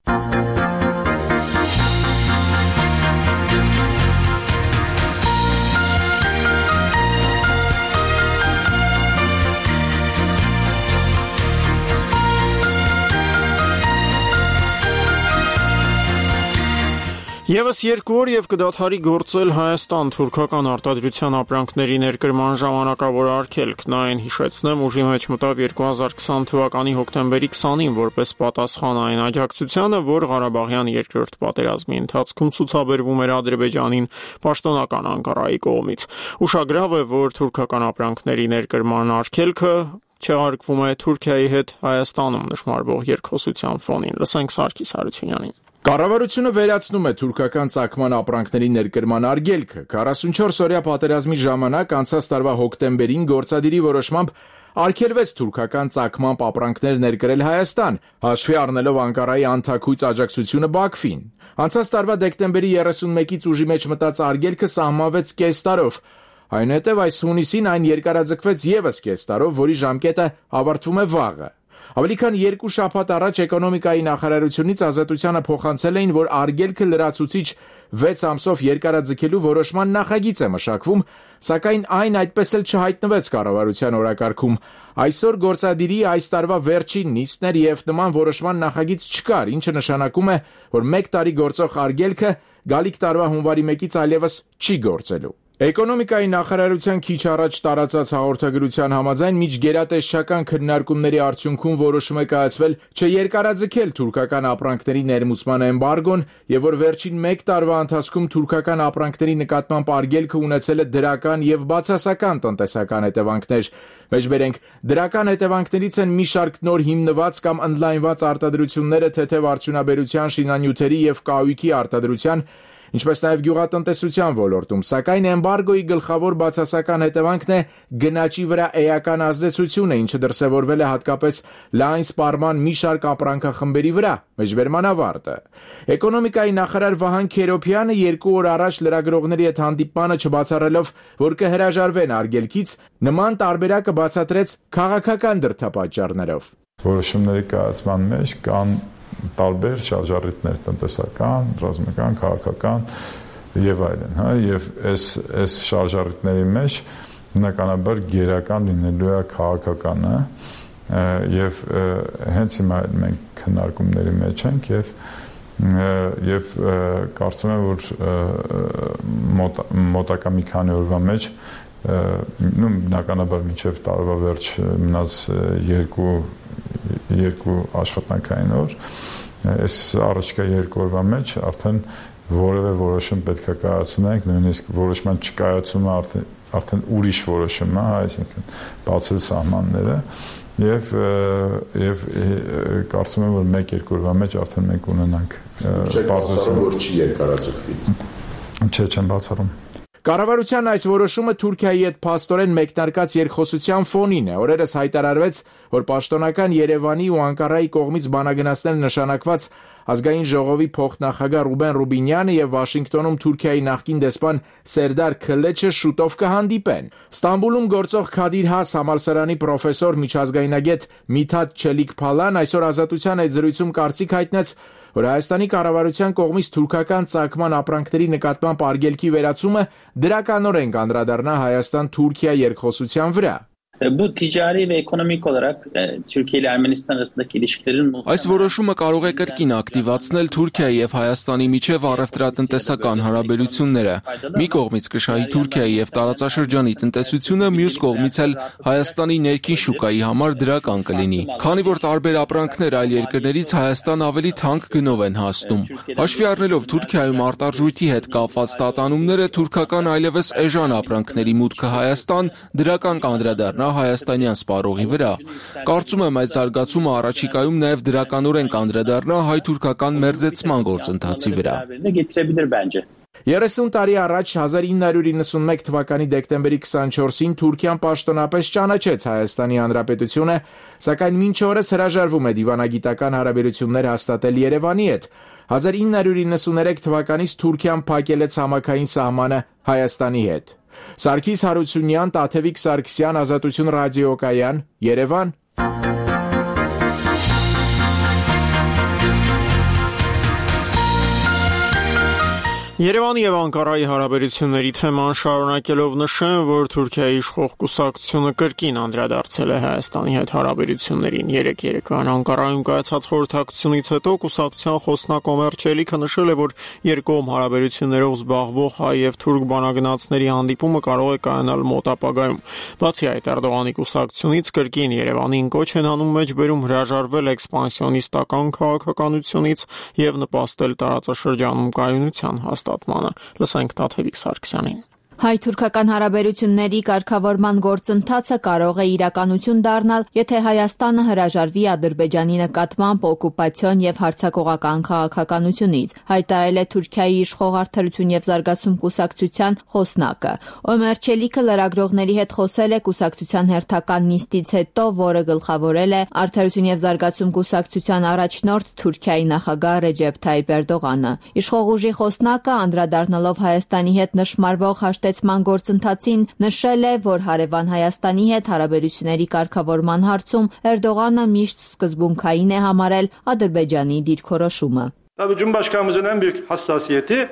[SPEAKER 1] Եվս երկու օր եւ կդադարի գործել Հայաստան թուրքական արտադրության ապրանքների ներկրման ժամանակավոր արգելքն, այն հիշեցնեմ ուժի մեջ մտավ երկու հազար քսան թվականի հոկտեմբերի քսանին որպես պատասխան այն աջակցությանը, որ Ղարաբաղյան երկրորդ պատերազմի ընթացքում ցուցաբերվում էր Ադրբեջանին պաշտոնական Անկարայի կողմից։ Ուշագրավ է, որ թուրքական ապրանքների ներկրման արգելքը չեղարկվում է Թուրքիայի հետ Հայաստանում նշмарվող երկխոսության ֆոնին։ Լսենք Սարգիս Հարությունյանին։
[SPEAKER 10] Կառավարությունը վերացնում է թուրքական ծագման ապրանքների ներկրման արգելքը։ քառասունչորս օրյա պատերազմի ժամանակ անցած տարվա հոկտեմբերին գործադիրի որոշմամբ արգելվեց թուրքական ծագման ապրանքներ ներկրել Հայաստան, հաշվի առնելով Անկարայի անթաքույց աջակցությունը Բաքվին։ Անցած տարվա դեկտեմբերի երեսունմեկից ուժի մեջ մտած արգելքը սահմանվեց կես տարով։ Այնուհետև այս հունիսին այն երկարաձգվեց եւս կես տարով, որի ժամկետը ավարտվում է վաղը։ Ավելի քան երկու շաբաթ առաջ էկոնոմիկայի նախարարությունից Ազատությանը փոխանցել էին, որ արգելքը լրացուցիչ վեց ամսով երկարաձգելու որոշման նախագիծ է մշակվում, սակայն այն այդպես էլ չհայտնվեց կառավարության օրակարգում։ Այսօր գործադիրի այս տարվա վերջին նիստն էր եւ նման որոշման նախագիծ չկար, ինչը նշանակում է, որ մեկ տարի գործող արգելքը գալիք տարվա հունվարի մեկից այլևս չի գործելու։ Էկոնոմիկայի նախարարության քիչ առաջ տարածած հաղորդագրության համաձայն միջգերատեսչական քննարկումների արդյունքում որոշում է կայացվել չերկարաձգել թուրքական ապրանքների ներմուծման էմբարգոն եւ որ վերջին մեկ տարվա ընթացքում թուրքական ապրանքների նկատմամբ արգելքը ունեցել է դրական եւ բացասական տնտեսական հետևանքներ։ Մեջբերենք դրական հետևանքներից են մի շարք նոր հիմնված կամ ընդլայնված արտադրությունները թեթև արդյունաբերության, շինանյութերի եւ կահույքի արտադրության, ինչպես նաև գյուղատնտեսության ոլորտում, սակայն էմբարգոյի գլխավոր բացասական հետևանքն է գնաճի վրա էական ազդեցությունը, ինչը դրսևորվել է հատկապես լայն սպառման մի շարք ապրանքախմբերի վրա, մեջբերման ավարտը։ Էկոնոմիկայի նախարար Վահան Քերոփյանը երկու օր առաջ լրագրողների հետ հանդիպմանը չբացառելով, որ կհրաժարվեն արգելքից, նման տարբերակը բացատրեց քաղաքական դրդապատճառներով։
[SPEAKER 2] Որոշումների կայացման մեջ կան տարբեր շարժառիթներ տնտեսական, ռազմական, քաղաքական եւ այլն, հա, եւ այս այս շարժառիթների մեջ բնականաբար գերական լինելու է քաղաքականը եւ հենց հիմա մենք քննարկումների մեջ ենք եւ եւ կարծում եմ որ մոտ, մոտակա մի քանի օրվա մեջ նույն բնականաբար մինչեւ տարվա վերջ մնաց երկու երկու աշխատանքային օր, այս առաջկա երկու օրվա մեջ արդեն որևէ որոշում պետք է կայացնենք, նույնիսկ որոշման չկայացումը արդեն արդեն ուրիշ որոշում է, այսինքն բացել սահմանները եւ եւ կարծում եմ որ մեկ-երկու օրվա մեջ արդեն մենք ունենանք բարձրացում,
[SPEAKER 10] որ չի երկարաձգվի։
[SPEAKER 2] Չէ, չեմ բացառում։
[SPEAKER 10] Կառավարության այս որոշումը Թուրքիայի հետ փաստորեն մեկնարկած երկխոսության ֆոնին է։ Օրերս հայտարարվեց, որ պաշտոնական Երևանի ու Անկարայի կողմից բանագնացնել նշանակված Ազգային ժողովի փոխնախագահ Ռուբեն Ռուբինյանը եւ Վաշինգտոնում Թուրքիայի նախկին դեսպան Սերդար Քլեչը շուտով կհանդիպեն։ Ստամբուլում գործող Քադիր Has համալսարանի պրոֆեսոր միջազգայնագետ Միթաթ Չելիք-Փալան այսօր Ազատության այդ զրույցում կարծիք հայտնեց, որ Հայաստանի կառավարության կողմից թուրքական ծագման ապրանքների նկատմամբ արգելքի վերացումը դրականորեն կանդրադառնա Հայաստան-Թուրքիա երկխոսության վրա։
[SPEAKER 4] Bu ticari ve ekonomik olarak Türkiye ile Ermenistan arasındaki ilişkilerin
[SPEAKER 5] Այս որոշումը կարող է կրկին ակտիվացնել Թուրքիայի եւ Հայաստանի միջև առևտրատնտեսական հարաբերությունները։ Մի կողմից կշահի Թուրքիայի եւ տարածաշրջանի տնտեսությունը, մյուս կողմից էլ Հայաստանի ներքին շուկայի համար դրական կլինի, քանի որ տարբեր ապրանքներ այլ երկրներից Հայաստան ավելի թանկ գնով են հասնում։ Հաշվի առնելով Թուրքիայում արտարժույթի հետ կապված տատանումները, թուրքական այլևս էժան ապրանքների մուտքը Հայաստան դրական կանդրադառնա հայաստանյան սպառողի վրա։ Կարծում եմ այս զարգացումը առաջիկայում նաև դրականորեն կանդրադառնա հայ-թուրքական մերձեցման գործընթացի վրա։
[SPEAKER 10] երեսուն տարի առաջ հազար ինը հարյուր իննսունմեկ թվականի դեկտեմբերի քսանչորսին Թուրքիան պաշտոնապես ճանաչեց Հայաստանի Հանրապետությունը, սակայն մինչ օրս հրաժարվում է դիվանագիտական հարաբերություններ հաստատել Երևանի հետ։ հազար ինը հարյուր իննսուներեք թվականից Թուրքիան փակել է ցամաքային սահմանը Հայաստանի հետ։ Սարգիս Հարությունյան, Տաթևիկ Սարգսյան, Ազատություն ռադիոկայան, Երևան։
[SPEAKER 1] Երևանի եւ Անկարայի հարաբերությունների թեման շարունակելով նշեմ, որ Թուրքիայի իշխող կուսակցությունը կրկին անդրադարձել է Հայաստանի հետ հարաբերություններին։ Երեք երեկոյան Անկարայում կայացած խորհրդակցությունից հետո կուսակցության խոսնակ Օմեր Չելիքը նշել է, որ երկկողմ հարաբերություններով զբաղվող հայ եւ թուրք բանագնացների հանդիպումը կարող է կայանալ մոտ ապագայում։ Բացի այդ, Էրդողանի կուսակցությունից կրկին Երևանին կոչ են անում մեջբերում հրաժարվել էքսպանսիոնիստական քաղաքականությունից եւ նպաստել տարածաշրջանում կայունության հաստատմանը։ Լսենք Տաթևիկ Սարգսյանին։
[SPEAKER 6] Հայ-թուրքական հարաբերությունների կարգավորման գործընթացը կարող է իրականություն դառնալ, եթե Հայաստանը հրաժարվի Ադրբեջանի նկատմամբ օկուպացիոն եւ հարձակողական քաղաքականությունից, հայտարարել է Թուրքիայի իշխող Արդարություն եւ զարգացում կուսակցության խոսնակը։ Օմեր Չելիքը լրագրողների հետ խոսել է կուսակցության հերթական նիստից հետո, որը գլխավորել է Արդարություն եւ զարգացում կուսակցության առաջնորդ Թուրքիայի նախագահ Ռեջեփ Թայիփ Էրդողանը։ Իշխող ուժի խոսնակը անդրադառնալով Հայաստանի հետ նշмарվող ման գործընթացին նշել է, որ հարևան Հայաստանի հետ հարաբերությունների կարգավորման հարցում Էրդողանը միշտ սկզբունքային է համարել Ադրբեջանի դիրքորոշումը։
[SPEAKER 8] Tabii Cumhurbaşkanımızın en büyük hassasiyeti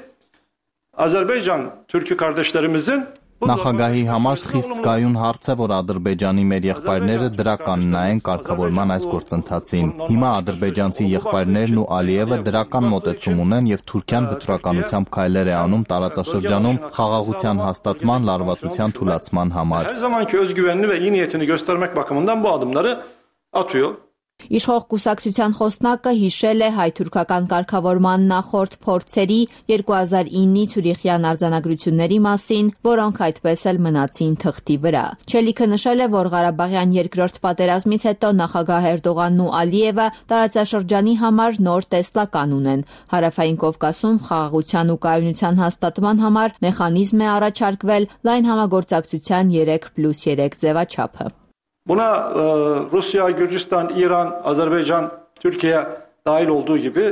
[SPEAKER 8] Azerbaycan Türk kardeşlerimizin
[SPEAKER 9] Նախագահի համար խիստ զգայուն հարց է, որ Ադրբեջանի մեր եղբայրները դրական նայեն կարգավորման այս գործընթացին։ Հիմա ադրբեջանցի եղբայրներն ու Ալիևը դրական մոտեցում ունեն եւ Թուրքիան վճռականությամբ քայլեր է անում տարածաշրջանում խաղաղության հաստատման, լարվածության թուլացման համար։
[SPEAKER 8] Her zamanki özgüvenini ve iyi niyetini göstermek bakımından bu adımları atıyor.
[SPEAKER 6] Իշխող կուսակցության խոսնակը հիշել է հայ-թուրքական կարգավորման նախորդ փորձերի երկու հազար իննի Ցյուրիխյան արձանագրությունների մասին, որոնք այդպես էլ մնացին թղթի վրա։ Չելիքը նշել է, որ Ղարաբաղյան երկրորդ պատերազմից հետո նախագահ Էրդողանն ու Ալիևը տարածաշրջանի համար նոր տեսլական ունեն։ Հարավային Կովկասում խաղաղության ու կայունության հաստատման համար մեխանիզմ է առաջարկվել լայն համագործակցության երեք պլյուս երեք ձևաչափը։
[SPEAKER 8] Buna e, Rusya, Gürcistan, İran, Azerbaycan, Türkiye dahil olduğu gibi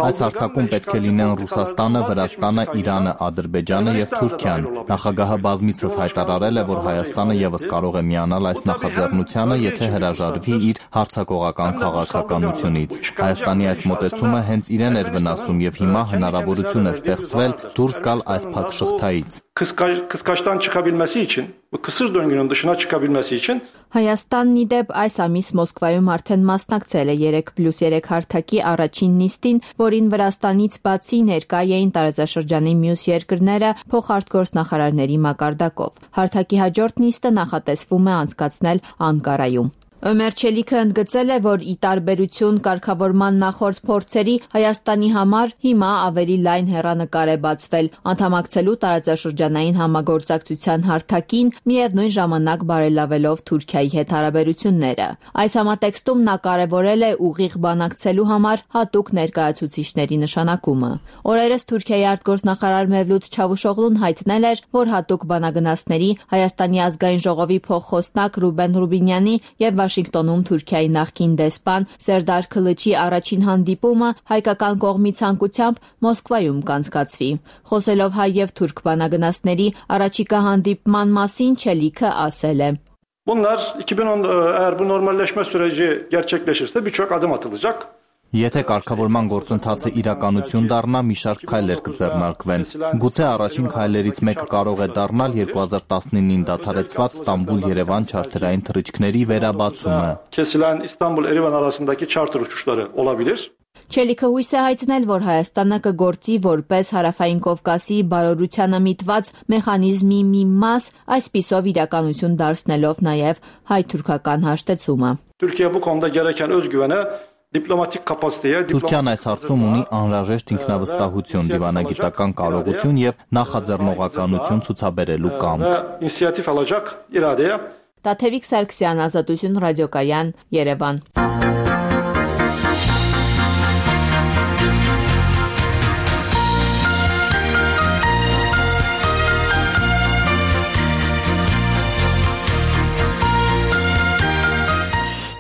[SPEAKER 9] Այս հարթակում պետք է լինեն Ռուսաստանը, Վրաստանը, Իրանը, Ադրբեջանը եւ Թուրքիան։ Նախագահը բազմիցս հայտարարել է, որ Հայաստանը եւս կարող է միանալ այս նախաձեռնությանը, եթե հրաժարվի իր հարձակողական քաղաքականությունից։ Հայաստանի այս մոտեցումը հենց իրեն էր վնասում եւ հիմա հնարավորություն է ստեղծվել դուրս գալ այս փակ շղթայից։
[SPEAKER 8] Kıskaçtan çıkabilmesi için, bu kısır döngünün dışına çıkabilmesi için
[SPEAKER 6] Հայաստանն իդեպ այս ամիս Մոսկվայում արդեն մասնակցել է երեք պլյուս երեք հարթակի առաջին նիստին, որին Վրաստանից բացի ներկա էին տարածաշրջանի մյուս երկրները փոխարտգործնախարարների մակարդակով։ Հարթակի հաջորդ նիստը նախատեսվում է անցկացնել Անկարայում։ Օմեր Չելիքը ընդգծել է, որ ի տարբերություն կարգավորման նախորդ փորձերի Հայաստանի համար հիմա ավելի լայն հեռանկար է բացվել անդամակցելու տարածաշրջանային համագործակցության հարթակին, միևնույն ժամանակ բարելավելով Թուրքիայի հետ հարաբերությունները։ Այս համատեքստում նա կարևորել է ուղիղ բանակցելու համար հատուկ ներկայացուցիչների նշանակումը։ Օրերս Թուրքիայի արտգործնախարար Մևլութ Չավուշօղլուն հայտնել էր, որ հատուկ բանագնացների Հայաստանի ազգային ժողովի փոխխոսնակ Ռուբեն Ռուբինյանի եւ Վաշինգտոնում Թուրքիայի նախկին դեսպան Սերդար Քլիչի առաջին հանդիպումը հայկական կողմի ցանկությամբ Մոսկվայում կանցկացվի։ Խոսելով հայ եւ թուրք բանագնացների առաջիկա հանդիպման մասին Չելիքը ասել է.
[SPEAKER 8] Bunlar iki bin on eğer bu normalleşme süreci gerçekleşirse birçok adım atılacak.
[SPEAKER 9] Եթե կարգավորման գործընթացը իրականություն դառնա, մի շարք քայլեր կձեռնարկվեն։ Գուցե առաջին քայլերից մեկը կարող է դառնալ երկու հազար տասնինին դադարեցված Ստամբուլ-Երևան չարթերային թռիչքների վերաբացումը։
[SPEAKER 8] Kesilen İstanbul-Erivan arasındaki charter uçuşları olabilir.
[SPEAKER 6] Չելիքը հույս է հայտնել, որ Հայաստանը կգործի որպես Հարավային Կովկասի բարօրությանը միտված մեխանիզմի մի մաս, այսպիսով իրականություն դարձնելով նաև հայ-թուրքական հաշտեցումը։
[SPEAKER 8] Türkiye bu konuda gereken özgüvene diplomatik kapasiteye
[SPEAKER 9] Թուրքիան այս հարցում ունի անհրաժեշտ ինքնավստահություն, դիվանագիտական կարողություն եւ նախաձեռնողականություն ցուցաբերելու կամք։
[SPEAKER 8] İnisiyatif alacak iradeye
[SPEAKER 6] Տաթևիկ Սարգսյան, Ազատություն ռադիոկայան, Երևան։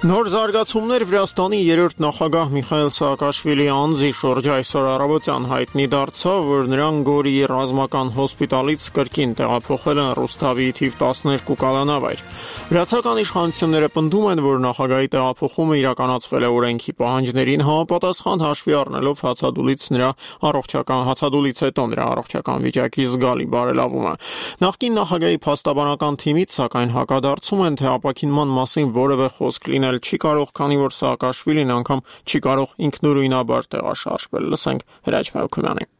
[SPEAKER 1] Նոր զարգացումներ Վրաստանի երրորդ նախագահ Միխայել Սաակաշվիլի անձի շուրջ այսօր առավոտյան հայտնի դարձավ, որ նրան Գորիի ռազմական հոսպիտալից կրկին տեղափոխել են Ռուսթավի թիվ տասներկու կալանավայր։ Վրացական իշխանությունները պնդում են, որ նախագահի տեղափոխումը իրականացվել է օրենքի պահանջներին համապատասխան, հաշվի առնելով հացադուլից նրա առողջական հացադուլից հետո նրա առողջական վիճակի զգալի բարելավումը։ Նախկին նախագահի փաստաբանական թիմից սակայն հակադարձում են, թե ապաքինման մասին որևէ խոսք լինել չի կարող, քանի որ Սաակաշվիլին անգամ չի կարող ինքնուրույնաբար տեղաշարժվել։ Լսենք Հրաչ Մելքումյանին։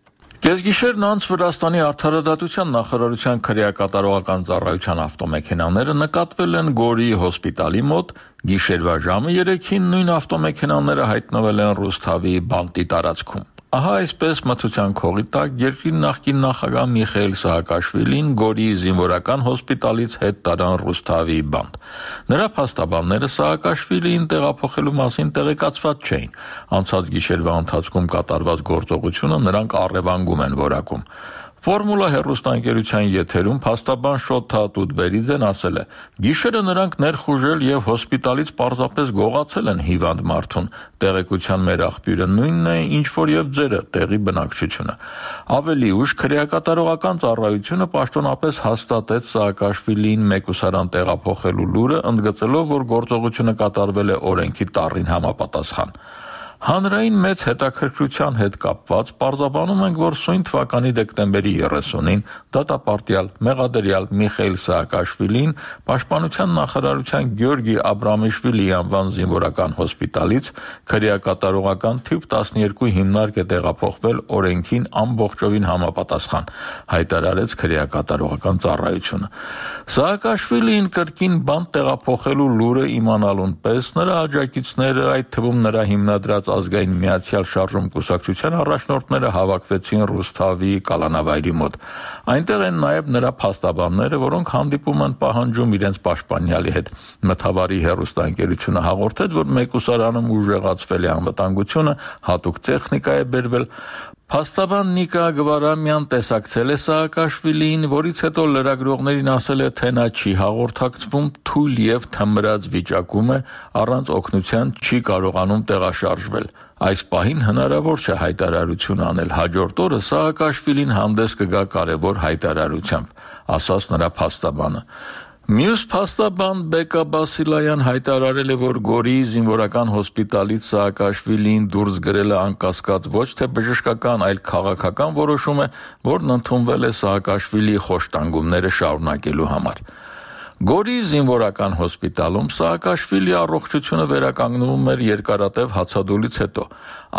[SPEAKER 7] Կեսգիշերն անց Վրաստանի արդարադատության նախարարության քրեակատարողական ծառայության ավտոմեքենաները նկատվել են Գորիի հոսպիտալի մոտ, գիշերվա ժամը երեքին նույն ավտոմեքենաները հայտնվել են Ռուսթավի բանտի տարածքում։ Ահա այսպես մթության քողի տակ երկրի նախկին նախագահ Միխայել Սաակաշվիլին Գորիի զինվորական հոսպիտալից հետ տարան Ռուսթավի բանտ։ Նրա փաստաբանները Սաակաշվիլիին տեղափոխելու մասին տեղեկացված չէին։ Անցած գիշերվա ընթացքում կատարված գործողությունը նրանք առևանգում են որակում։ Ֆորմուլա հեռուստաընկերության եթերում փաստաբան Շոթա Տուտբերիձեն ասել է. «Գիշերը նրանք ներխուժել եւ հոսպիտալից պարզապես գողացել են հիվանդ մարդուն։ Տեղեկության մեր աղբյուրը նույնն է, ինչ որ եւ ձերը, տեղի բնակչությունը»։ Ավելի ուշ քրեակատարողական ծառայությունը պաշտոնապես հաստատեց Սաակաշվիլիին մեկուսարան տեղափոխելու լուրը, ընդգծելով, որ գործողությունը կատարվել է օրենքի տառին համապատասխան։ Հանրային մեծ հետաքրքրության հետ կապված պարզաբանում ենք, որ սույն թվականի դեկտեմբերի երեսունին դատապարտյալ մեղադրյալ Միխայել Սաակաշվիլին Պաշտպանության նախարարության Գյորգի Աբրամիշվիլի անվան զինվորական հոսպիտալից քրեակատարողական թիվ տասներկու հիմնարկ է տեղափոխվել օրենքին ամբողջովին համապատասխան, հայտարարեց քրեակատարողական ծառայությունը։ Սաակաշվիլին կրկին բանտ տեղափոխելու լուրը իմանալուն պես նրա աջակիցները, այդ թվում նրա հիմնադրած ազգային միացյալ շարժում կուսակցության առաջնորդները հավաքվեցին Ռուսթավի կալանավայրի մոտ։ Այնտեղ են նաև նրա փաստաբանները, որոնք հանդիպում են պահանջում իրենց պաշտպանյալի հետ։ Մթավարի հեռուստաընկերությունը հաղորդեց, որ մեկուսարանում ուժեղացվել է անվտանգությունը, հատուկ տեխնիկա է բերվել։ Փաստաբան Նիկա Գվարամյան տեսակցել է Սաակաշվիլիին, որից հետո լրագրողներին ասել է, թե նա չի հաղորդակցվում, թույլ եւ թմրած վիճակում է, առանց օգնության չի կարողանում տեղաշարժվել։ Այս պահին հնարավոր չէ հայտարարություն անել։ Հաջորդ օրը Սաակաշվիլին հանդես կգա կարևոր հայտարարությամբ, ասաց նրա փաստաբանը։ Մյուս փաստաբան Բեկա Բասիլայան հայտարարել է, որ Գորիի զինվորական հոսպիտալից Սաակաշվիլիին դուրս գրելը անկասկած ոչ թե բժշկական, այլ քաղաքական որոշում է, որն ընդունվել է Սաակաշվիլիի խոշտանգումները շարունակելու համար։ Գորիի զինվորական հոսպիտալում Սաակաշվիլի առողջությունը վերականգնվում էր երկարատև հացադուլից հետո։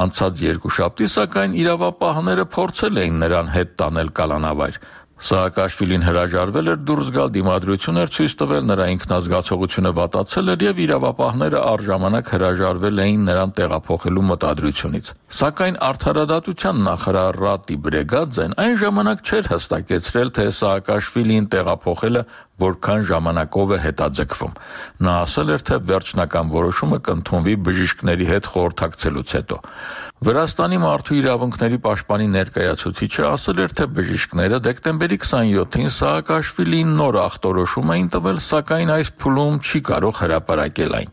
[SPEAKER 7] Անցած երկուշաբթի, սակայն իրավապահները փորձել էին նրան հետ տանել կալանավայր։ Սաակաշվիլին հրաժարվել էր դուրս գալ, դիմադրություն էր ցույց տվել, նրա ինքնազգացողությունը վատացել էր եւ իրավապահները առժամանակ հրաժարվել էին նրան տեղափոխելու մտադրությունից։ Սակայն արդարադատության նախարար Ռատի Բրեգաձեն այն ժամանակ չէր հստակեցրել, թե Սաակաշվիլին տեղափոխելը որքան ժամանակով է հետաձգվում։ Նա ասել էր, թե վերջնական որոշումը կընդունվի բժիշկների հետ խորհրդակցելուց հետո։ Վրաստանի մարդու իրավունքների պաշտպանի ներկայացուցիչը ասել էր, թե բժիշկները դեկտեմբերի քսանյոթին Սաակաշվիլիին նոր ախտորոշում էին տվել, սակայն այս փուլում չի կարող հրապարակել այն։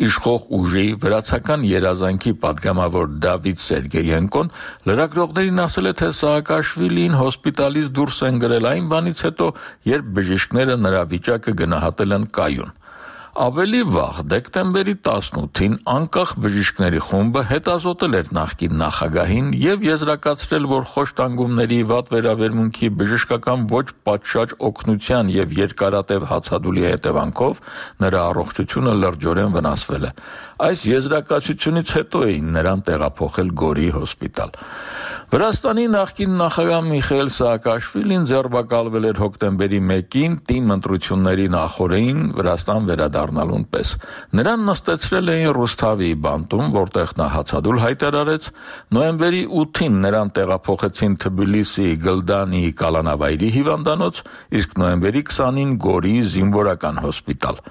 [SPEAKER 7] Իշխող ուժի վրացական երազանքի պատգամավոր Դավիթ Սերգեյենկոն լրագրողներին ասել է, թե Սաակաշվիլիին հոսպիտալից դուրս են գրել այն բանից հետո, երբ բժիշկները նրա վիճակը գնահատել են կայուն։ Ավելի վաղ, դեկտեմբերի տասնութին, անկախ բժիշկների խումբը հետազոտել էր նախկին նախագահին եւ եզրակացրել, որ խոշտանգումների, վատ վերաբերմունքի, բժշկական ոչ պատշաճ օգնության եւ երկարատև հացադուլի հետևանքով նրա առողջությունը լրջորեն վնասվել է։ Այս եզրակացությունից հետո էին նրան տեղափոխել Գորիի հոսպիտալ։ Վրաստանի նախկին նախագահ Միխայել Սաակաշվիլին ձերբակալվել էր հոկտեմբերի մեկին տիմ ընտրությունների նախօրեին Վրաստան վերադառնալուն պես։ Նրան նստեցրել էին Ռուսթավի բանտում, որտեղ նա հացադուլ հայտարարեց։ Նոյեմբերի ութին նրան տեղափոխեցին Թբիլիսի Գլդանի կալանավայրի հիվանդանոց, իսկ նոյեմբերի քսանին Գորիի զինվորական հոսպիտալ։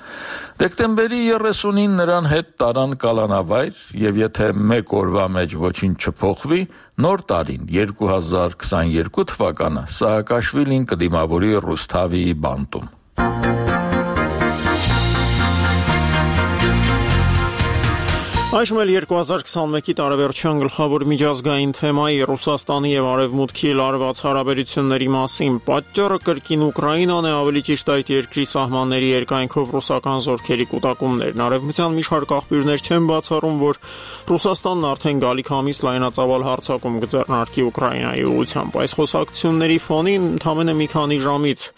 [SPEAKER 7] Դեկտեմբերի երեսունին նրան հետ տարան կալանավայր եւ եթե մեկ օրվա մեջ ոչինչ չփոխվի, նոր տարին երկու հազար քսաներկու թվականը Սաակաշվիլին կդիմավորի Ռուսթավի բանտում։
[SPEAKER 1] Այժմ էլ երկու հազար քսանմեկի տարեվերջյան գլխավոր միջազգային թեմայի Ռուսաստանի եւ Արևմուտքի լարված հարաբերությունների մասին պատճառը կրկին Ուկրաինան է, ավելի ճիշտ այդ երկրի սահմանների երկայնքով ռուսական զորքերի կուտակումներն։ Արևմտյան մի շարք աղբյուրներ չեն բացառում, որ Ռուսաստանն արդեն գալիք ամիս լայնածավալ հարձակում կձեռնարկի Ուկրաինայի ուղղությամբ։ Այս խոսակցությունների ֆոնին ընդամենը մի քանի ժամից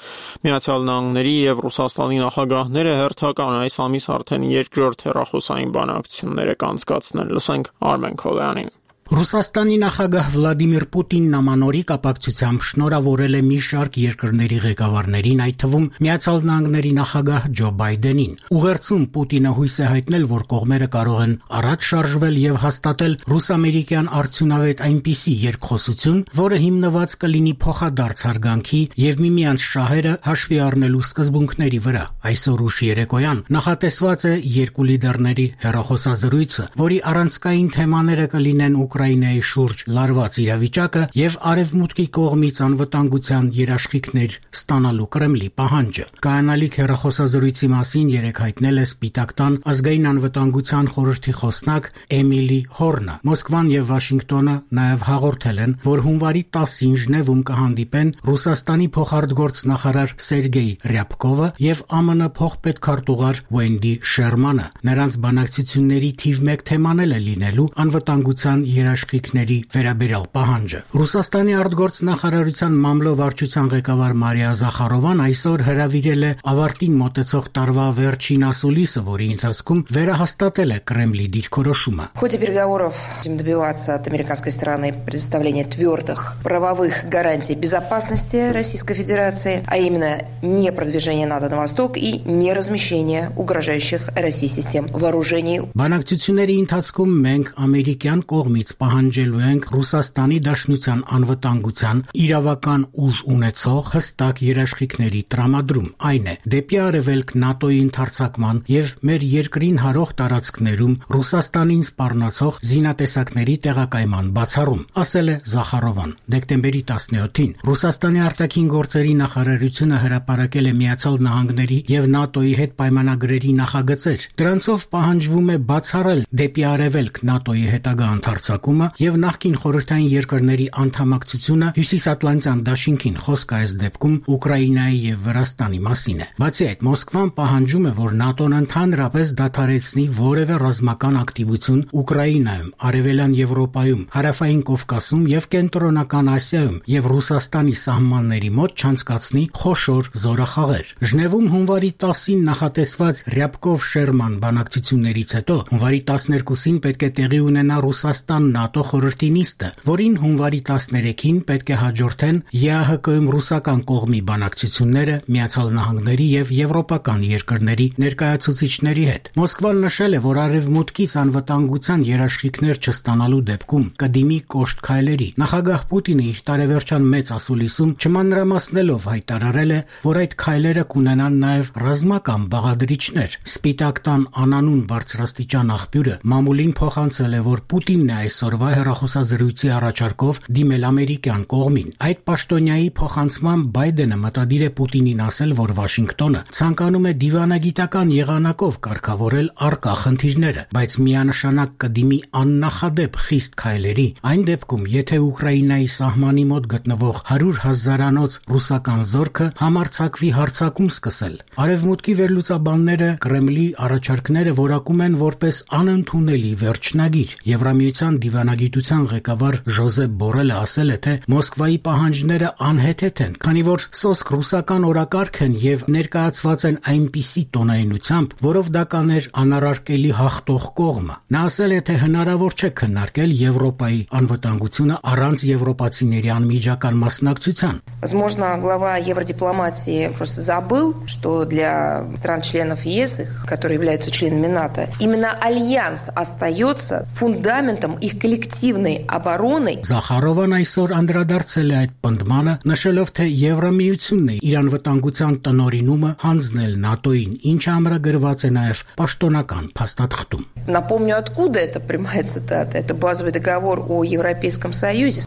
[SPEAKER 1] Միացյալ Նահանգների եւ Ռուսաստանի նախագահները հերթական այս ամիս արդեն երկրորդ հեռախոսային բանակցություններ կանցկացնել։ Լսենք Արմեն Քոլյանին։
[SPEAKER 11] Ռուսաստանի նախագահ Վլադիմիր Պուտինն ամանորի կապակցությամբ շնորհավորել է մի շարք երկրների ղեկավարներին, այդ թվում Միացյալ Նահանգների նախագահ Ջո Բայդենին։ Ուղերձում Պուտինը հույս է հայտնել, որ կողմերը կարող են առաջ շարժվել եւ հաստատել ռուս-ամերիկյան արդյունավետ այնպիսի երկխոսություն, որը հիմնված կլինի փոխադարձ հարգանքի եւ միմյանց շահերը հաշվի առնելու սկզբունքների վրա։ Այսօր ուշ երեկոյան նախատեսված է երկու լիդերների հեռախոսազրույցը, որի առանցքային թեմաները կլինեն Ուկրաինայի շուրջ լարված իրավիճակը եւ Արևմուտքի կողմից անվտանգության երաշխիքներ ստանալու Կրեմլի պահանջը։ Կայանալիք հեռախոսազրույցի մասին երեկ հայտնել է Սպիտակ տան ազգային անվտանգության խորհրդի խոսնակ Էմիլի Հորնը։ Մոսկվան եւ Վաշինգտոնը նաեւ հաղորդել են, որ հունվարի տասին Ժնևում կհանդիպեն Ռուսաստանի փոխարտգործնախարար Սերգեյ Ռյաբկովը եւ ԱՄՆ փոխպետքարտուղար Վենդի Շերմանը։ Նրանց բանակցությունների թիվ մեկ թեման է լինելու անվտանգության երաշխիքների վերաբերյալ պահանջը։ Ռուսաստանի արտգործնախարարության մամլո-վարչության ղեկավար Մարիա Զախարովան այսօր հրավիրել է ավարտին մոտեցող տարվա վերջին ասուլիսը, որի ընթացքում վերահաստատել է Կրեմլի դիրքորոշումը։
[SPEAKER 12] В ходе переговоров будем добиваться от американской стороны предоставления твердых правовых гарантий безопасности Российской Федерации, а именно не продвижение НАТО на восток и не размещение угрожающих России систем вооружений.
[SPEAKER 11] Բանակցությունների ընթացքում մենք ամերիկյան կողմից պահանջելու ենք Ռուսաստանի Դաշնության անվտանգության իրավական ուժ ունեցող հստակ երաշխիքների տրամադրում, այն է դեպի արևելք ՆԱՏՕ-ի ընդարձակման եւ մեր երկրին հարող տարածքներում Ռուսաստանին սպառնացող զինատեսակների տեղակայման բացառում, ասել է Զախարովան։ Դեկտեմբերի տասնյոթին Ռուսաստանի արտաքին գործերի նախարարությունը հրապարակել է Միացյալ Նահանգների եւ ՆԱՏՕ-ի հետ պայմանագրերի նախագծեր։ Դրանցով պահանջվում է բացառել դեպի արևելք ՆԱՏՕ-ի հետագա ընդարձակումը եւ նախկին խորհրդային երկրների անդամակցությունը Հյուսիսատլանտյան դաշինքին, խոսքը այս դեպքում Ուկրաինայի եւ Վրաստանի մասին է։ Բացի այդ, Մոսկվան պահանջում է, որ ՆԱՏՕ-ն ընդհանրապես դադարեցնի որևէ ռազմական ակտիվություն Ուկրաինայում, Արևելյան Եվրոպայում, Հարավային Կովկասում եւ Կենտրոնական Ասիայում եւ Ռուսաստանի սահմանների մոտ չանցկացնի խոշոր զորախաղեր։ Ժնևում հունվարի տասին նախատեսված Ռյաբկով-Շերման բանակցություններից հետո հունվարի տասներկուսին պետք է տեղի ունենա Ռուսաստան-ՆԱՏՕ խորհրդի նիստը, որին հունվարի տասներեքին պետք է հաջորդեն ԵԱՀԿ-ում ռուսական կողմի բանակցությունները Միացյալ Նահանգների եւ եվրոպական երկրների ներկայացուցիչների հետ։ Մոսկվան նշել է, որ արևմուտքից անվտանգության երաշխիքներ չստանալու դեպքում կդիմի կոշտ քայլերի։ Նախագահ Պուտինը իր տարեվերջյան մեծ ասուլիսում չմանրամասնելով հայտարարել է, որ այդ քայլերը կունենան նաեւ ռազմական բաղադրիչներ։ Սպիտակ տան անանուն բարձրաստիճան աղբյուրը մամուլին փոխանցել է, որ Պուտինն է այսօրվա հեռախոսազրույցի առաջարկով դիմել ամերիկյան կողմին։ Այդ պաշտոնյայի փոխանցման Բայդենը մտադիր է Պուտինին ասել, որ Վաշինգտոնը ցանկանում է դիվանագիտական եղանակով կարգավորել առկա խնդիրները, բայց միանշանակ կդիմի աննախադեպ խիստ քայլերի այն դեպքում, եթե Ուկրաինայի սահմանի մոտ գտնվող հարյուր հազարանոց ռուսական զորքը համարձակվի հարձակում սկսել։ Արևմուտքի վերլուծաբանները Կրեմլի առաջարկները որակում են որպես անընդունելի վերջնագիր։ Եվրամիության դիվանագիտության ղեկավար Ժոզեփ Բորելը ասել է, թե Մոսկվայի պահանջները անհեթեթ են, քանի որ սոսկ ռուսական օրակարգ են եւ ներկայացված են այնպիսի տոնայնությամբ, որով դա կաներ անարարկելի հաղթող կողմը։ Նա ասել է, թե հնարավոր չէ քննարկել Եվրոպայի անվտանգությունը առանց եվրոպացիների անմիջական մասնակցության։
[SPEAKER 12] Возможно, глава евродипломатии просто забыл, что для стран-членов ЕС, которые являются членами НАТО, именно альянс остается фундаментом их коллективной обороны.
[SPEAKER 11] Զախարովան այսօր անդրադարձել է այդ պնդմանը, նշելով, թե Եվրամիությունն է իր անվտանգության տնօրինումը հանձնել ՆԱՏՕ-ին, ինչը ամրագրված է նաև պաշտոնական փաստաթղթում։
[SPEAKER 12] Напомню, откуда эта прямая цитата. Это базовый договор о Европейском Союзе.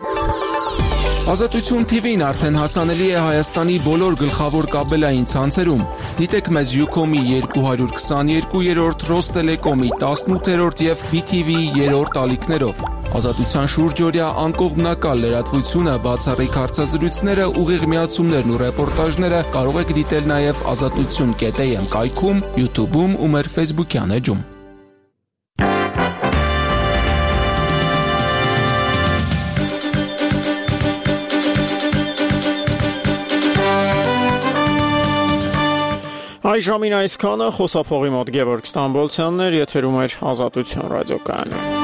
[SPEAKER 5] Ազատություն Թի Վին արդեն հասանելի է Հայաստանի բոլոր գլխավոր կաբելային ցանցերում։ Դիտեք մեզ Յուքոմի երկու հարյուր քսաներկուերորդ, Ռոստելեկոմի տասնութերորդ եւ Բի Թի Վիի երրորդ ալիքներով։ Ազատության շուրջօրյա անկողմնակալ լրատվությունը, բացառիկ հարցազրույցները, ուղիղ միացումներն ու ռեպորտաժները կարող եք դիտել նաեւ ազատություն կետ էյ էմ կայքում, YouTube-ում ու մեր Facebook-յան էջում։
[SPEAKER 1] Այժմին այսքանը, խոսափողի մոտ Գևորգ Ստամբոլցյանն էր, եթերում էր Ազատություն ռադիոկայանը։